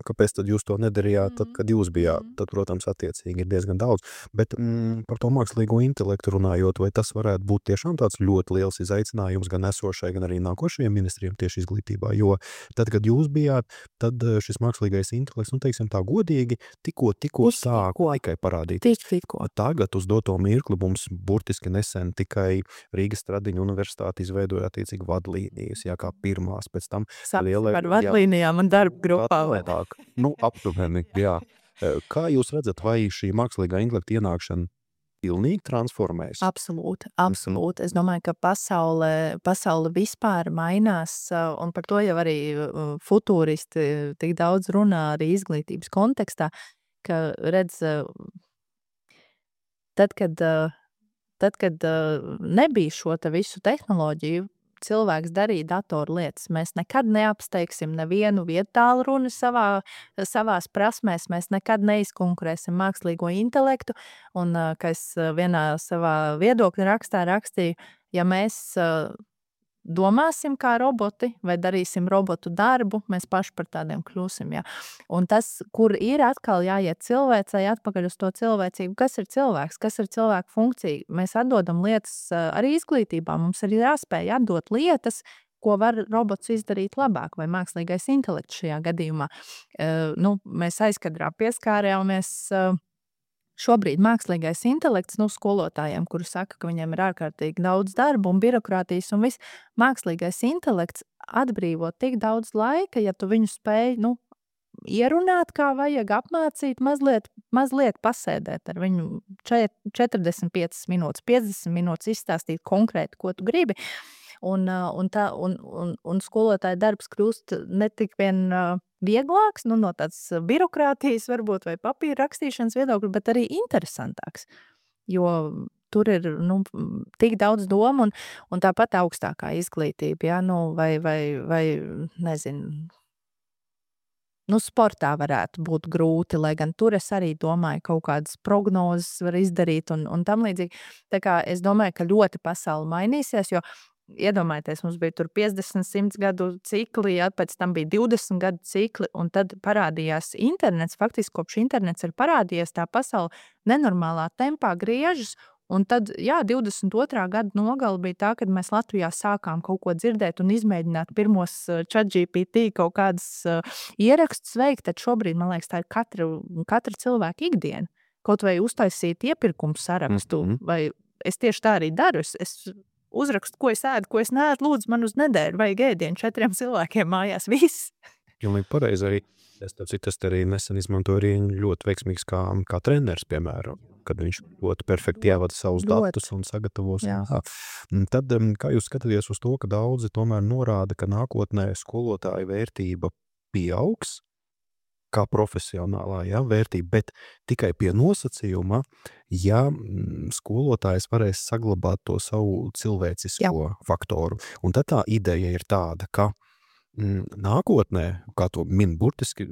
kāpēc tad jūs to nedarījāt, tad, kad jūs bijāt, tad, protams, attiecīgi ir diezgan daudz, bet mm, par to mākslīgo intelektu runājot, vai tas varētu būt tiešām tāds ļoti liels izaicinājums gan esošai, gan arī nākošajiem ministriem tieši izglītībā, jo tad, kad jūs bijāt, tad šis mākslīgais intelekts, nu, teiksim tā godīgi, tikko, tikko sāk tikai parādīties. Tikko. Tagad uz doto mirkli mums burtiski nesen tikai Rīgas Stradiņu universitāte izveidoja attiecīgi vadlīnijas, jā, kā pirmās, pēc tam lielai, par vadlīnijām un darba grupā. Nu, aptuveni, jā. Kā jūs redzat, vai šī mākslīgā intelekta ienākšana pilnīgi transformēs? Absolūti, absolūti. Es domāju, ka pasaule, pasaule vispār mainās, un par to jau arī futūristi tik daudz runā arī izglītības kontekstā, ka redz, tad, kad Tad, kad uh, nebija šo te visu tehnoloģiju, cilvēks darīja datoru lietas. Mēs nekad neapsteigsim nevienu vietālu runu savā, savās prasmēs, mēs nekad neizkonkurēsim mākslīgo intelektu, un, uh, kā es vienā savā viedokļa rakstā rakstīju, ja mēs uh, domāsim kā roboti vai darīsim robotu darbu, mēs paši par tādiem kļūsim. Ja? Un tas, kur ir atkal jāiet cilvēcei atpakaļ uz to cilvēcību, kas ir cilvēks, kas ir cilvēka funkcija. Mēs atdodam lietas arī izglītībā, mums ir jāspēj atdot lietas, ko var robots izdarīt labāk, vai mākslīgais intelekts šajā gadījumā. Uh, nu, mēs aizkadrā pieskārējāmies uh, šobrīd mākslīgais intelekts, nu, skolotājiem, kuri saka, ka viņiem ir ārkārtīgi daudz darba un birokrātijas un viss. Mākslīgais intelekts atbrīvo tik daudz laika, ja tu viņu spēj, nu, ierunāt, kā vajag apmācīt, mazliet, mazliet pasēdēt ar viņu četrdesmit piecas minūtes, piecdesmit minūtes izstāstīt konkrēti, ko tu gribi. Un, un, tā, un, un, un skolotāja darbs kļūst ne tik vien vieglāks, nu, no tādas birokrātijas varbūt vai papīra rakstīšanas viedokļa, bet arī interesantāks. Jo tur ir nu, tik daudz domu un, un tāpat augstākā izglītība, ja, nu, vai, vai, vai nezinu, nu, sportā varētu būt grūti, lai gan tur es arī domāju, kaut kādas prognozes var izdarīt un, un tam līdzīgi. Tā kā es domāju, ka ļoti pasaule mainīsies, jo iedomājieties, mums bija tur piecdesmit, simt gadu cikli, ja, pēc tam bija divdesmit gadu cikli, un tad parādījās internets. Faktiski, kopš internets ir parādījies, tā pasaule nenormālā tempā griežas, un tad, jā, divdesmit otrā gada nogala bija tā, kad mēs Latvijā sākām kaut ko dzirdēt un izmēģināt pirmos ChatGPT kaut kādas uh, ierakstus veikt, tad šobrīd, man liekas, tā ir katra, katra cilvēka ikdiena. Kaut vai uztaisīt iepirkumu sarakstu, mm-hmm. vai es tieši tā arī daru, es, es uzrakstu, ko es ēdu, ko es neēdu, lūdzu, man uz nedēļu vajag ēdienu četriem cilvēkiem mājās, viss. Pilnīgi pareizi arī. Es tas arī nesen izmantoju arī ļoti veiksmīgs kā, kā treneris, piemēram, kad viņš ļoti perfekti ievada savus ļoti. datus un sagatavos. Tad, kā jūs skatāties uz to, ka daudzi tomēr norāda, ka nākotnē skolotāja vērtība pieaugs, kā profesionālā ja, vērtība, bet tikai pie nosacījuma, ja skolotājs varēs saglabāt to savu cilvēcisko Jā. faktoru. Un tad tā ideja ir tāda, ka nākotnē, kā to min burtiski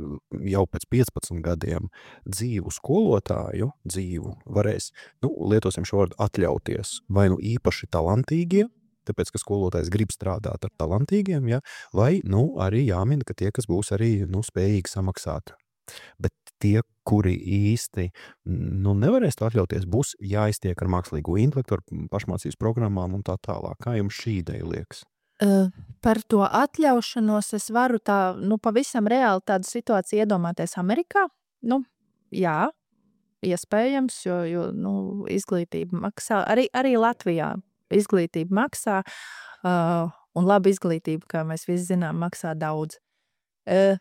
jau pēc piecpadsmit gadiem, dzīvu skolotāju dzīvu varēs, nu, lietosim šo vārdu atļauties, vai nu īpaši talantīgie, tāpēc, ka skolotājs grib strādāt ar talantīgiem, ja, vai, nu, arī jāmin, ka tie, kas būs arī, nu, spējīgi samaksāt. Bet tie, kuri īsti, nu, nevarēs to atļauties, būs jāiztiek ar mākslīgo intelektu, ar pašmācības programmām un tā tālāk. Kā jums šī ideja liekas? Uh, par to atļaušanos es varu tā, nu, pavisam reāli tādu situāciju iedomāties Amerikā. Nu, jā, iespējams, jo, jo nu, izglītība maksā, arī, arī Latvijā izglītība maksā, uh, un laba izglītība, kā mēs visi zinām, maksā daudz. Uh,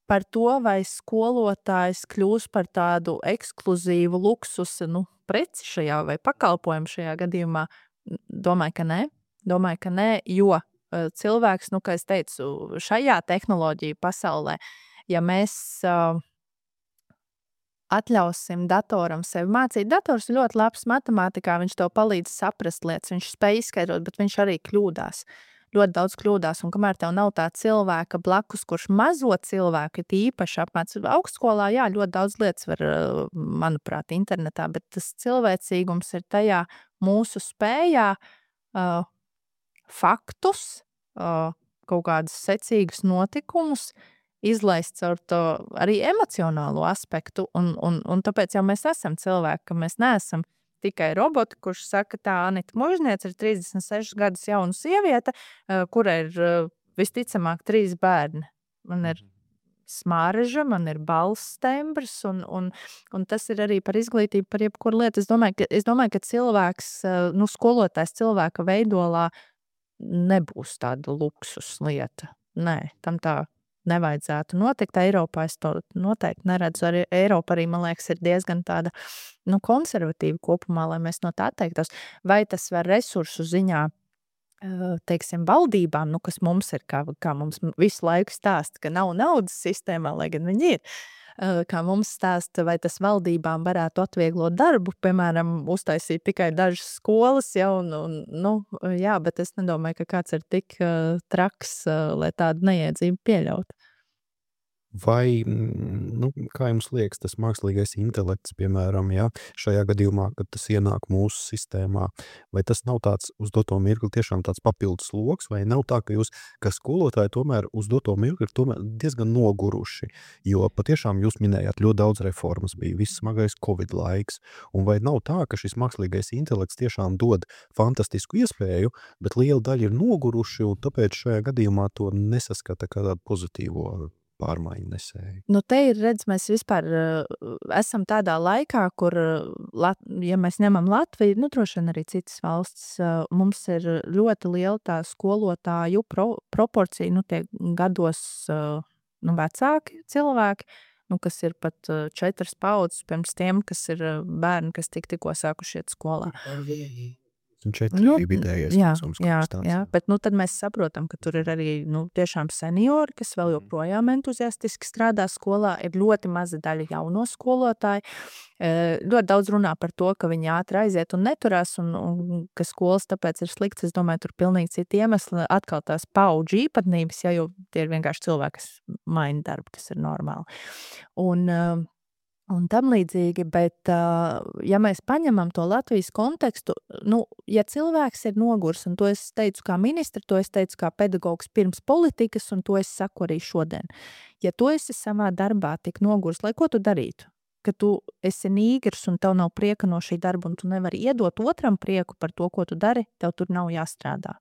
par to, vai skolotājs kļūs par tādu ekskluzīvu luksusu, nu, preci šajā vai pakalpojumu šajā gadījumā, domāju, ka nē. Domāju, ka nē, jo cilvēks, nu, kā es teicu, šajā tehnoloģiju pasaulē, ja mēs uh, atļausim datoram sevi mācīt, dators ir ļoti labs matemātikā, viņš tev palīdz saprast lietas, viņš spēj izskaidrot, bet viņš arī kļūdās. Ļoti daudz kļūdās, un kamēr tev nav tā cilvēka blakus, kurš mazo cilvēku ir īpaši apmāc. Augstskolā, jā, ļoti daudz lietas var, manuprāt, internetā, bet tas cilvēcīgums ir tajā mūsu spējā uh, faktus, uh, kaut kādus secīgus notikumus, izlaist caur to arī emocionālo aspektu, un, un, un tāpēc jau mēs esam cilvēki, ka mēs neesam tikai roboti, kurš saka, tā Anita Mužniece ir trīsdesmit sešus gadus jauna sieviete, uh, kura ir uh, visticamāk trīs bērni. Man ir smāreža, man ir balss tembrs, un, un, un tas ir arī par izglītību, par jebkuru lietu. Es domāju, ka, es domāju, ka cilvēks, uh, nu, skolotājs cilvēka veidolā nebūs tāda luksus lieta. Nē, tam tā nevajadzētu notikt. Eiropā es to noteikti neredzu. Arī Eiropa arī, man liekas, ir diezgan tāda, nu, konservatīva kopumā, lai mēs no tā atteiktos. Vai tas var resursu ziņā, teiksim, valdībām, nu, kas mums ir, kā, kā mums visu laiku stāsta, ka nav naudas sistēmā, lai gan viņi ir. Kā mums stāsta, vai tas valdībām varētu atvieglot darbu, piemēram, uztaisīt tikai dažas skolas, ja, un, un, nu, jā, bet es nedomāju, ka kāds ir tik uh, traks, uh, lai tādu neiedzību pieļaut. Vai, nu, kā jums liekas, tas mākslīgais intelekts, piemēram, ja, šajā gadījumā, kad tas ienāk mūsu sistēmā, vai tas nav tāds uz doto mirkli tiešām tāds papildus sloks, vai nav tā, ka jūs, kā skolotāji, tomēr uz doto mirkli ir tomēr diezgan noguruši, jo patiešām jūs minējāt ļoti daudz reformas, bija viss smagais Covid laiks, un vai nav tā, ka šis mākslīgais intelekts tiešām dod fantastisku iespēju, bet liela daļa ir noguruši, un tāpēc šajā gadījumā to nesaskata kā tādu pozitīvo pārmaiņu nesēju. Nu, te ir, redz, mēs vispār uh, esam tādā laikā, kur, uh, Lat ja mēs ņemam Latviju, nu, droši vien arī citas valsts, uh, mums ir ļoti liela tā skolotāju pro proporcija, nu, tie gados, uh, nu, vecāki cilvēki, nu, kas ir pat uh, četras paudzes pirms tiem, kas ir uh, bērni, kas tik tikko sākuši iet skolā. Četri Nu, bija vidējais jā, vecums, jā, kaut kas tāds. jā, bet nu, tad mēs saprotam, ka tur ir arī nu, tiešām seniori, kas vēl joprojām entuziastiski strādā skolā. Ir ļoti maza daļa jauno skolotāju. E, ļoti daudz runā par to, ka viņi ātri aiziet un neturās, un, un ka skolas tāpēc ir slikts. Es domāju, tur pilnīgi citi iemesli. Atkal tās paudžu īpatnības, ja jau tie ir vienkārši cilvēki, kas maina darbu, tas ir normāli. Un, uh, un tam līdzīgi, bet uh, ja mēs paņemam to Latvijas kontekstu, nu, ja cilvēks ir nogurs, un to es teicu kā ministra, to es teicu kā pedagogs pirms politikas, un to es saku arī šodien. Ja tu esi savā darbā tik nogurs, lai ko tu darītu? Ka tu esi nīgrs un tev nav prieka no šī darba, un tu nevari iedot otram prieku par to, ko tu dari, tev tur nav jāstrādā.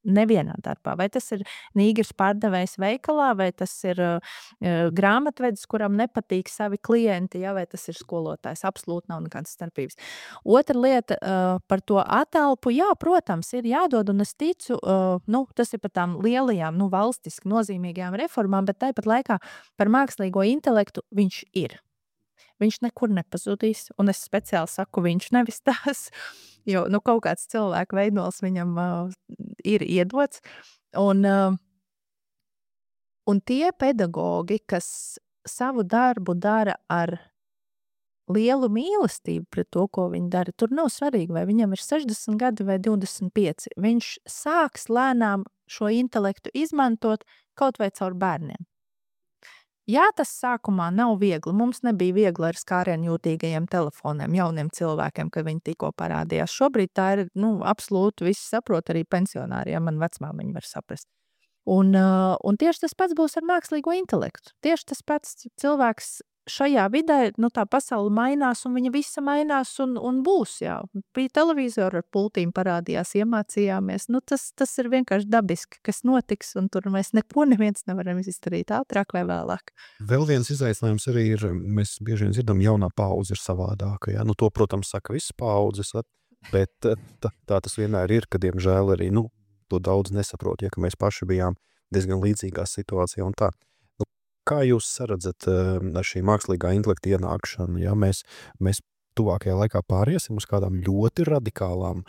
Nevienā darbā. Vai tas ir nīgrs pārdevējs veikalā, vai tas ir uh, grāmatvedis, kuram nepatīk savi klienti, ja, vai tas ir skolotājs. Absolūti nav nekādas starpības. Otra lieta uh, par to atelpu, jā, protams, ir jādod, un es ticu, uh, nu, tas ir par tām lielajām, nu, valstiski nozīmīgajām reformām, bet tāpat laikā par mākslīgo intelektu viņš ir. Viņš nekur nepazudīs, un es speciāli saku, viņš nevis tās, jo nu, kaut kāds cilvēku veidols viņam uh, ir iedots. Un, uh, un tie pedagogi, kas savu darbu dara ar lielu mīlestību pret to, ko viņi dara, tur nav svarīgi, vai viņam ir sešdesmit gadi vai divdesmit pieci. Viņš sāks lēnām šo intelektu izmantot kaut vai caur bērniem. Jā, tas sākumā nav viegli. Mums nebija viegli ar skārienjūtīgajiem telefoniem, jauniem cilvēkiem, kad viņi tikko parādījās. Šobrīd tā ir, nu, absolūti visi saprot, arī pensionāri, ja man vecmāmiņi var saprast. Un, uh, un tieši tas pats būs ar mākslīgo intelektu. Tieši tas pats cilvēks šajā vidē, nu, tā pasaule mainās, un viņa visa mainās un, un būs, jā. Bija televizori ar pultīm parādījās, iemācījāmies. Nu, tas, tas ir vienkārši dabiski, kas notiks, un tur mēs neko neviens nevaram izdarīt ātrāk vai vēlāk. Vēl viens izaicinājums arī ir, mēs bieži vien dzirdam, jaunā paudze ir savādāka. Ja? Nu, to, protams, saka visas paudzes, bet tā, tā tas vienmēr ir, ka, diemžēl, arī nu, to daudz nesaprot, ja, ka mēs paši bijām diezgan līdzīgā situācijā un tā. Nu, kā jūs saredzat ar šī mākslīgā intelekta ienākšanu? Ja? Mēs, mēs tuvākajā laikā pāriesim uz kādām ļoti radikālām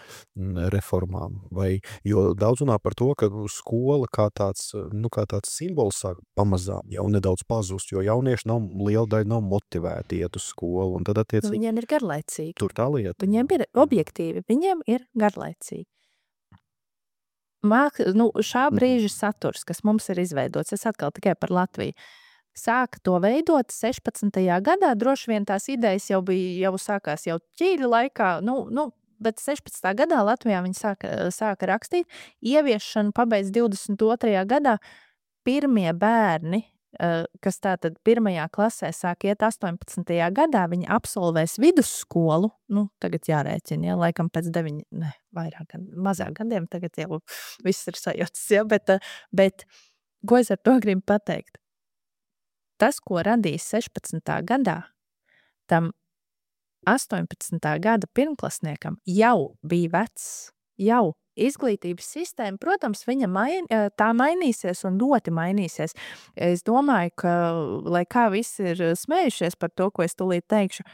reformām, vai, jo daudz runā par to, ka skola kā tāds, nu, kā tāds simbols sāk pamazām jau nedaudz pazust, jo jaunieši nav, liela daļa nav motivēti iet uz skolu, un tad attiecīgi... Nu, viņiem ir garlaicīgi. Tur tā lieta. Viņiem ir objektīvi, viņiem ir garlaicīgi. Māk, nu, šā brīža saturs, kas mums ir izveidots, es atkal tikai par Latviju, sāka to veidot sešpadsmitajā gadā, droši vien tās idejas jau bija, jau sākās jau ķīļa laikā, nu, nu, bet sešpadsmitajā gadā Latvijā viņi sāka, sāka rakstīt, ieviešanu pabeidz divdesmit otrajā gadā, pirmie bērni, kas tātad pirmajā klasē sāk iet astoņpadsmitajā gadā, viņi absolvēs vidusskolu, nu, tagad jārēķina, ja, laikam pēc deviņi, ne, vairāk, mazāk gadiem, tagad jau viss ir sajūtas, ja, bet, bet, ko es ar to gribu pateikt? Tas, ko radīs sešpadsmitā gadā, tam astoņpadsmitā gada pirmklasniekam jau bija vecs, jau izglītības sistēma, protams, viņa main, tā mainīsies un ļoti mainīsies. Es domāju, ka, lai kā visi ir smējušies par to, ko es tūlīt teikšu,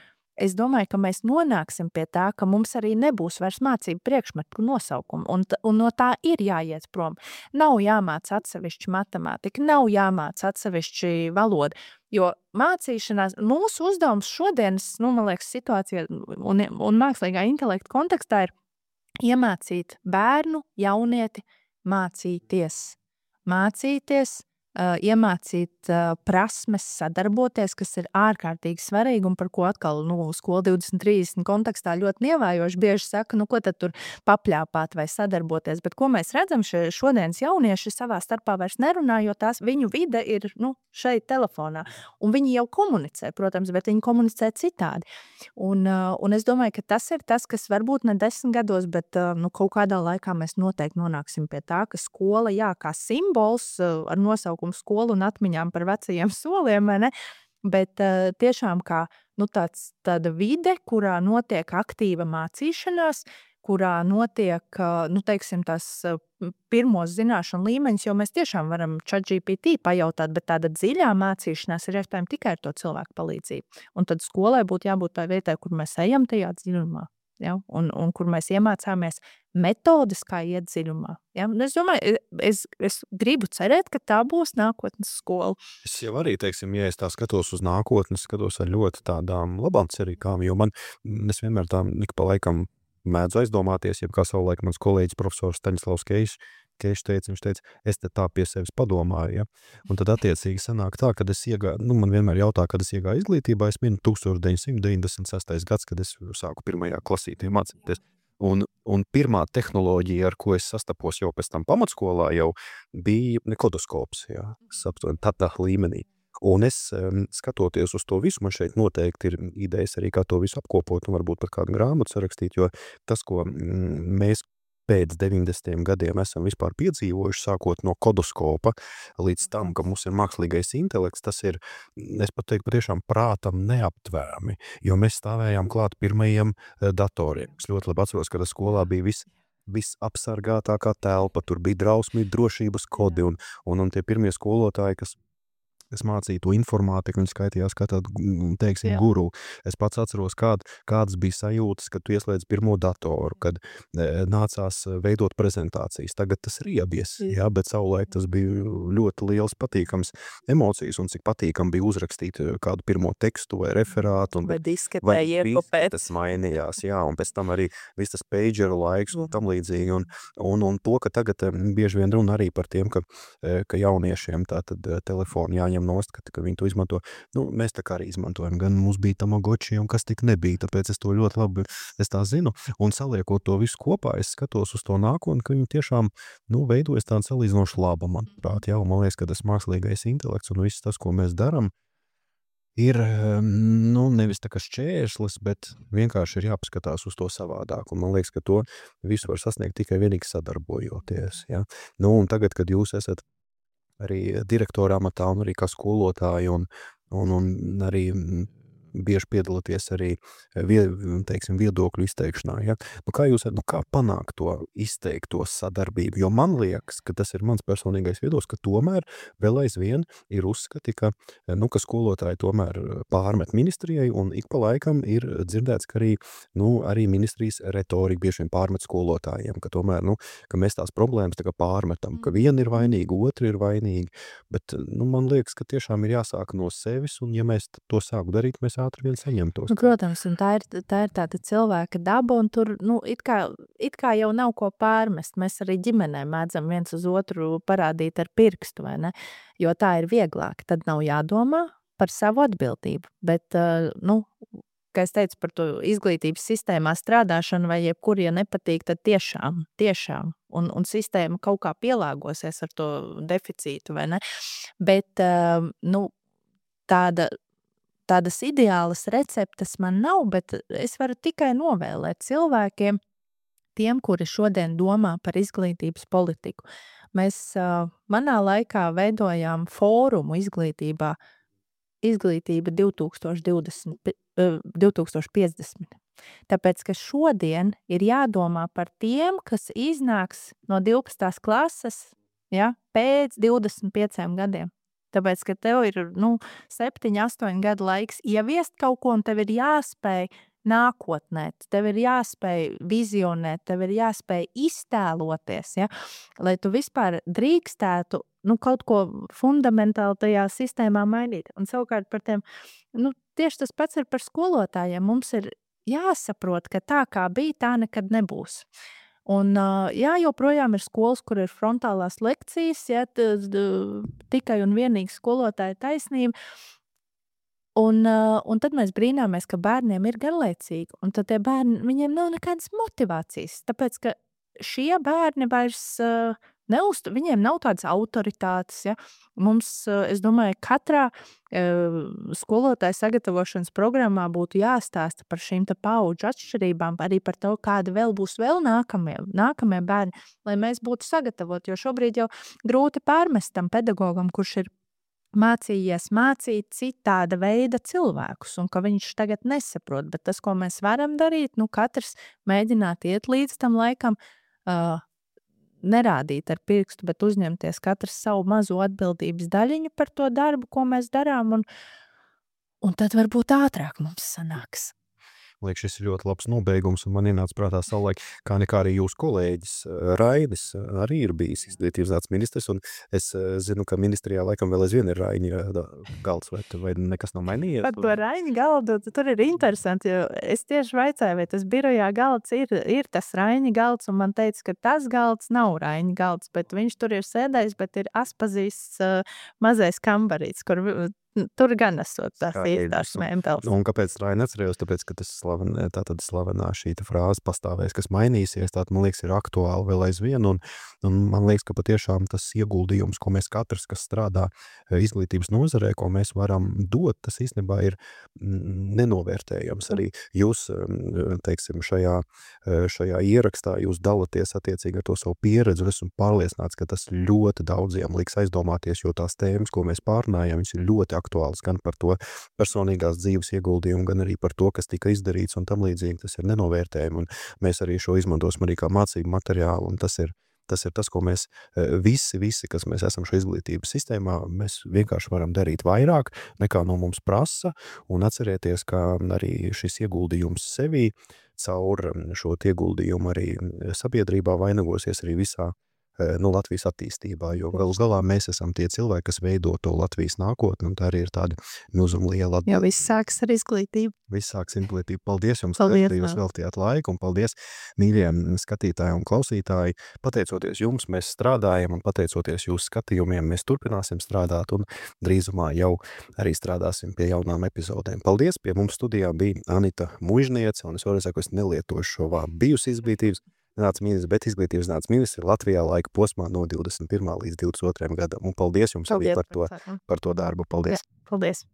es domāju, ka mēs nonāksim pie tā, ka mums arī nebūs vairs mācību priekšmetu nosaukumu, un, un no tā ir jāiet prom. Nav jāmāc atsevišķi matemātika, nav jāmāc atsevišķi valoda, jo mācīšanās, mūsu uzdevums šodienas, nu, man liekas, situācija un, un mākslīgā intelekta kontekstā ir iemācīt bērnu, jaunieti mācīties. Mācīties uh, iemācīt uh, prasmes sadarboties, kas ir ārkārtīgi svarīgi un par ko atkal nu, skola divdesmit trīsdesmit kontekstā ļoti nievājoši bieži saka, nu ko tad tur papļāpāt vai sadarboties, bet ko mēs redzam, šie šodienas jaunieši savā starpā vairs nerunā, jo tās viņu vide ir nu, šeit telefonā, un viņi jau komunicē, protams, bet viņi komunicē citādi. Un, uh, un es domāju, ka tas ir tas, kas varbūt ne desmit gados, bet uh, nu, kaut kādā laikā mēs noteikti nonāksim pie tā, ka skola, jā, kā simbols uh, ar nosaukumu skolu un atmiņām par vecajiem soliem, vai ne? Bet uh, tiešām kā nu, tāds, tāda vide, kurā notiek aktīva mācīšanās, kurā notiek, uh, nu, teiksim, tās uh, pirmos zināšanu līmeņus, jo mēs tiešām varam ChatGPT pajautāt, bet tāda dziļā mācīšanās ir iespējama tikai ar to cilvēku palīdzību. Un tad skolai būtu jābūt tā vietai, kur mēs ejam tajā dziļumā. Ja? Un, un kur mēs iemācāmies metodes, kā iet dziļumā. Ja? Un es domāju, es, es gribu cerēt, ka tā būs nākotnes skola. Es jau arī, teiksim, ja es tā skatos uz nākotni, skatos ar ļoti tādām labām cerībām, jo man, es vienmēr tā ik pa laikam mēdzu aizdomāties, jeb kā savulaik mans kolēģis profesors Staņislavs Keišs, Keišs teica, viņš teica, es te tā pie sevis padomāju, ja? Un tad attiecīgi sanāk tā, kad es iegāju, nu man vienmēr jautā, kad es iegāju izglītībā, es minu tusenč deviņsimt deviņdesmit sestais gads, kad es sāku pirmajā klasītē mācīties. Un, un pirmā tehnoloģija, ar ko es sastapos jau pēc tam pamatskolā, jau bija kodoskops, jā, saptoni, tādā līmenī. Un es um, skatoties uz to visu, man šeit noteikti ir idejas arī, kā to visu apkopot un varbūt pat kādu grāmatu sarakstīt, jo tas, ko mm, mēs pēc deviņdesmitiem gadiem esam vispār piedzīvojuši, sākot no kodoskopa līdz tam, ka mums ir mākslīgais intelekts, tas ir, es pat teiktu, patiešām prātam neaptverami, jo mēs stāvējām klāt pirmajiem datoriem. Es ļoti labi atceros, ka tas skolā bija viss visapsargātākā telpa, tur bija drausmīgi drošības kodi un, un, un tie pirmie skolotāji, kas es mācīju to informātiku, viņi skaitījās kā tādu, teiksim, Jā. guru. Es pats atceros, kād, kādas bija sajūtas, kad tu ieslēdz pirmo datoru, kad e, nācās veidot prezentācijas. Tagad tas ir iebies, jā, bet savulaik tas bija ļoti liels patīkams emocijas, un cik patīkam bija uzrakstīt kādu pirmo tekstu vai referātu. Un, vai disketē iekopēt. Tas mainījās, jā, un pēc tam arī viss tas pageru laiks un tam līdzīgi. Un, un, un to, ka tagad bieži vien runa arī par tiem, ka, ka jauniešiem tātad telefoni jāņem nost, ka, ka viņi to izmanto. Nu, mēs tā kā arī izmantojam, gan mums bija Tamagotchi un kas tik nebija, tāpēc es to ļoti labi, es tā zinu, un saliekot to visu kopā, es skatos uz to nākotni, ka viņi tiešām, nu, veidojas tāda salīdzinoši laba, manuprāt, jā, un man liekas, ka tas mākslīgais intelekts un viss tas, ko mēs daram, ir, nu, nevis tā kā šķērslis, bet vienkārši ir jāpaskatās uz to savādāk, un man liekas, ka to visu var sasniegt tikai vienīgi sadarbojoties, jā. Nu, un tagad, kad jūs esat arī direktora amatā un arī kā skolotāji un, un, un arī bieži piedalāties arī vie, teiksim, viedokļu izteikšanā. Ja? Nu, kā jūs, nu, kā panākt to izteikto sadarbību? Jo man liekas, ka tas ir mans personīgais viedoklis, ka tomēr vēl aizvien ir uzskati, ka, nu, ka skolotāji tomēr pārmet ministrijai un ik pa laikam ir dzirdēts, ka arī, nu, arī ministrijas retorika bieži vien pārmet skolotājiem, ka tomēr, nu, ka mēs tās problēmas tā kā pārmetam, ka viena ir vainīga, otra ir vainīga, bet, nu, man liekas, ka tiešām ir jāsāk no sevis, un ja mēs to sāku darīt, mēs ātri vien saņemtos. Nu, protams, un tā ir, tā ir tāda cilvēka daba, un tur, nu, it kā, it kā jau nav ko pārmest. Mēs arī ģimenē mēdzam viens uz otru parādīt ar pirkstu, vai ne? Jo tā ir vieglāk. Tad nav jādomā par savu atbildību. Bet, uh, nu, kā es teicu par to izglītības sistēmā strādāšanu, vai jebkur, ja nepatīk, tad tiešām, tiešām. Un, un sistēma kaut kā pielāgosies ar to deficītu, vai ne? Bet, uh, nu, tāda Tādas ideālas receptes man nav, bet es varu tikai novēlēt cilvēkiem, tiem, kuri šodien domā par izglītības politiku. Mēs uh, manā laikā veidojām fórumu izglītībā, izglītība divtūkstoš piecdesmit. Tāpēc, ka šodien ir jādomā par tiem, kas iznāks no divpadsmitās klases, ja, pēc divdesmit pieciem gadiem. Tāpēc, ka tev ir, nu, septiņi, astoņi gadu laiks ieviest kaut ko, un tev ir jāspēj nākotnēt, tev ir jāspēj vizionēt, tev ir jāspēj iztēloties, ja? Lai tu vispār drīkstētu, nu, kaut ko fundamentāli tajā sistēmā mainīt. Un savukārt par tiem, nu, tieši tas pats ir par skolotājiem. Mums ir jāsaprot, ka tā kā bija, tā nekad nebūs. Un, uh, jā, joprojām ir skolas, kur ir frontālās lekcijas, ja, t, t, tikai un vienīgi skolotāja taisnība. Un, uh, un tad mēs brīnāmies, ka bērniem ir garlaicīgi, un tad tie bērni, viņiem nav nekādas motivācijas, tāpēc, ka šie bērni vairs uh, neuztu, viņiem nav tādas autoritātes, ja. Mums, uh, es domāju, katrā uh, skolotāja sagatavošanas programmā būtu jāstāsta par šīm te paudžu atšķirībām, arī par to, kādi vēl būs vēl nākamie, nākamie bērni, lai mēs būtu sagatavoti, jo šobrīd jau grūti pārmest tam pedagogam, kurš ir mācījies mācīt citāda veida cilvēkus, un ka viņš tagad nesaprot, bet tas, ko mēs varam darīt, nu katrs mēģināt iet līdz tam laikam, uh, nerādīt ar pirkstu, bet uzņemties katrs savu mazo atbildības daļiņu par to darbu, ko mēs darām, un, un tad varbūt ātrāk mums sanāks. Liek, šis ir ļoti labs nobeigums, un man ienāca prātā savulaik, kā nekā arī jūsu kolēģis Rainis arī ir bijis izglītības zinātnes ministrs, un es zinu, ka ministrijā laikam vēl aizvien ir Raiņa galds, vai, vai nekas nav mainījies? Par to Raiņa galdu, tur ir interesanti, jo es tieši vaicāju, vai tas birojā galds ir, ir tas Raiņa galds, un man teica, ka tas galds nav Raiņa galds, bet viņš tur ir sēdējis, bet ir Aspazīsts uh, mazais kambarīts, kur tur gan esot tās īstās mēmpeles. Un kāpēc Raini atcerējos? Tāpēc, ka tas slaven, tā tad slavenā šī frāze pastāvēs, kas mainīsies, tā man liekas ir aktuāli vēl aizvien, un, un man liekas, ka patiešām tas ieguldījums, ko mēs katrs, kas strādā izglītības nozarē, ko mēs varam dot, tas īstenībā ir nenovērtējams. Arī jūs, teiksim, šajā, šajā ierakstā jūs dalaties attiecīgi ar to savu pieredzi, un esmu pārliecināts, ka tas ļoti daudziem liks aizdomāties, jo tās tēmas, ko mēs pārnājam, viņas ir ļoti aktuāls gan par to personīgās dzīves ieguldījumu, gan arī par to, kas tika izdarīts un tam līdzīgi. Tas ir nenovērtējumi, un mēs arī šo izmantosim arī kā mācību materiālu, un tas ir tas, ir tas ko mēs visi, visi, kas mēs esam šo izglītības sistēmā, mēs vienkārši varam darīt vairāk, nekā no mums prasa, un atcerieties, ka arī šis ieguldījums sevī caur šo ieguldījumu arī sabiedrībā vainagosies arī visā nu, Latvijas attīstībā, jo galu galā mēs esam tie cilvēki, kas veido to Latvijas nākotni, un tā arī ir tāda milzuma liela atbildība. Jo viss sāks ar izglītību. Viss sāks ar izglītību. Paldies jums, paldies, ka jūs veltījāt laiku, un paldies mīļiem skatītāji un klausītāji. Pateicoties jums, mēs strādājam, un pateicoties jūsu skatījumiem, mēs turpināsim strādāt, un drīzumā jau arī strādāsim pie jaunām epizodēm. Paldies, pie mums studijā bija Anita Muižniece, un es varu saku, es nelietošu šo vārdu bijusi izglītības zinātnes ministrs, bet izglītības zinātnes ministrs ir Latvijā laika posmā no divdesmit pirmā līdz divdesmit otrajam gadam. Un paldies jums paldies, arī par to, par to darbu. Paldies. Jā, paldies.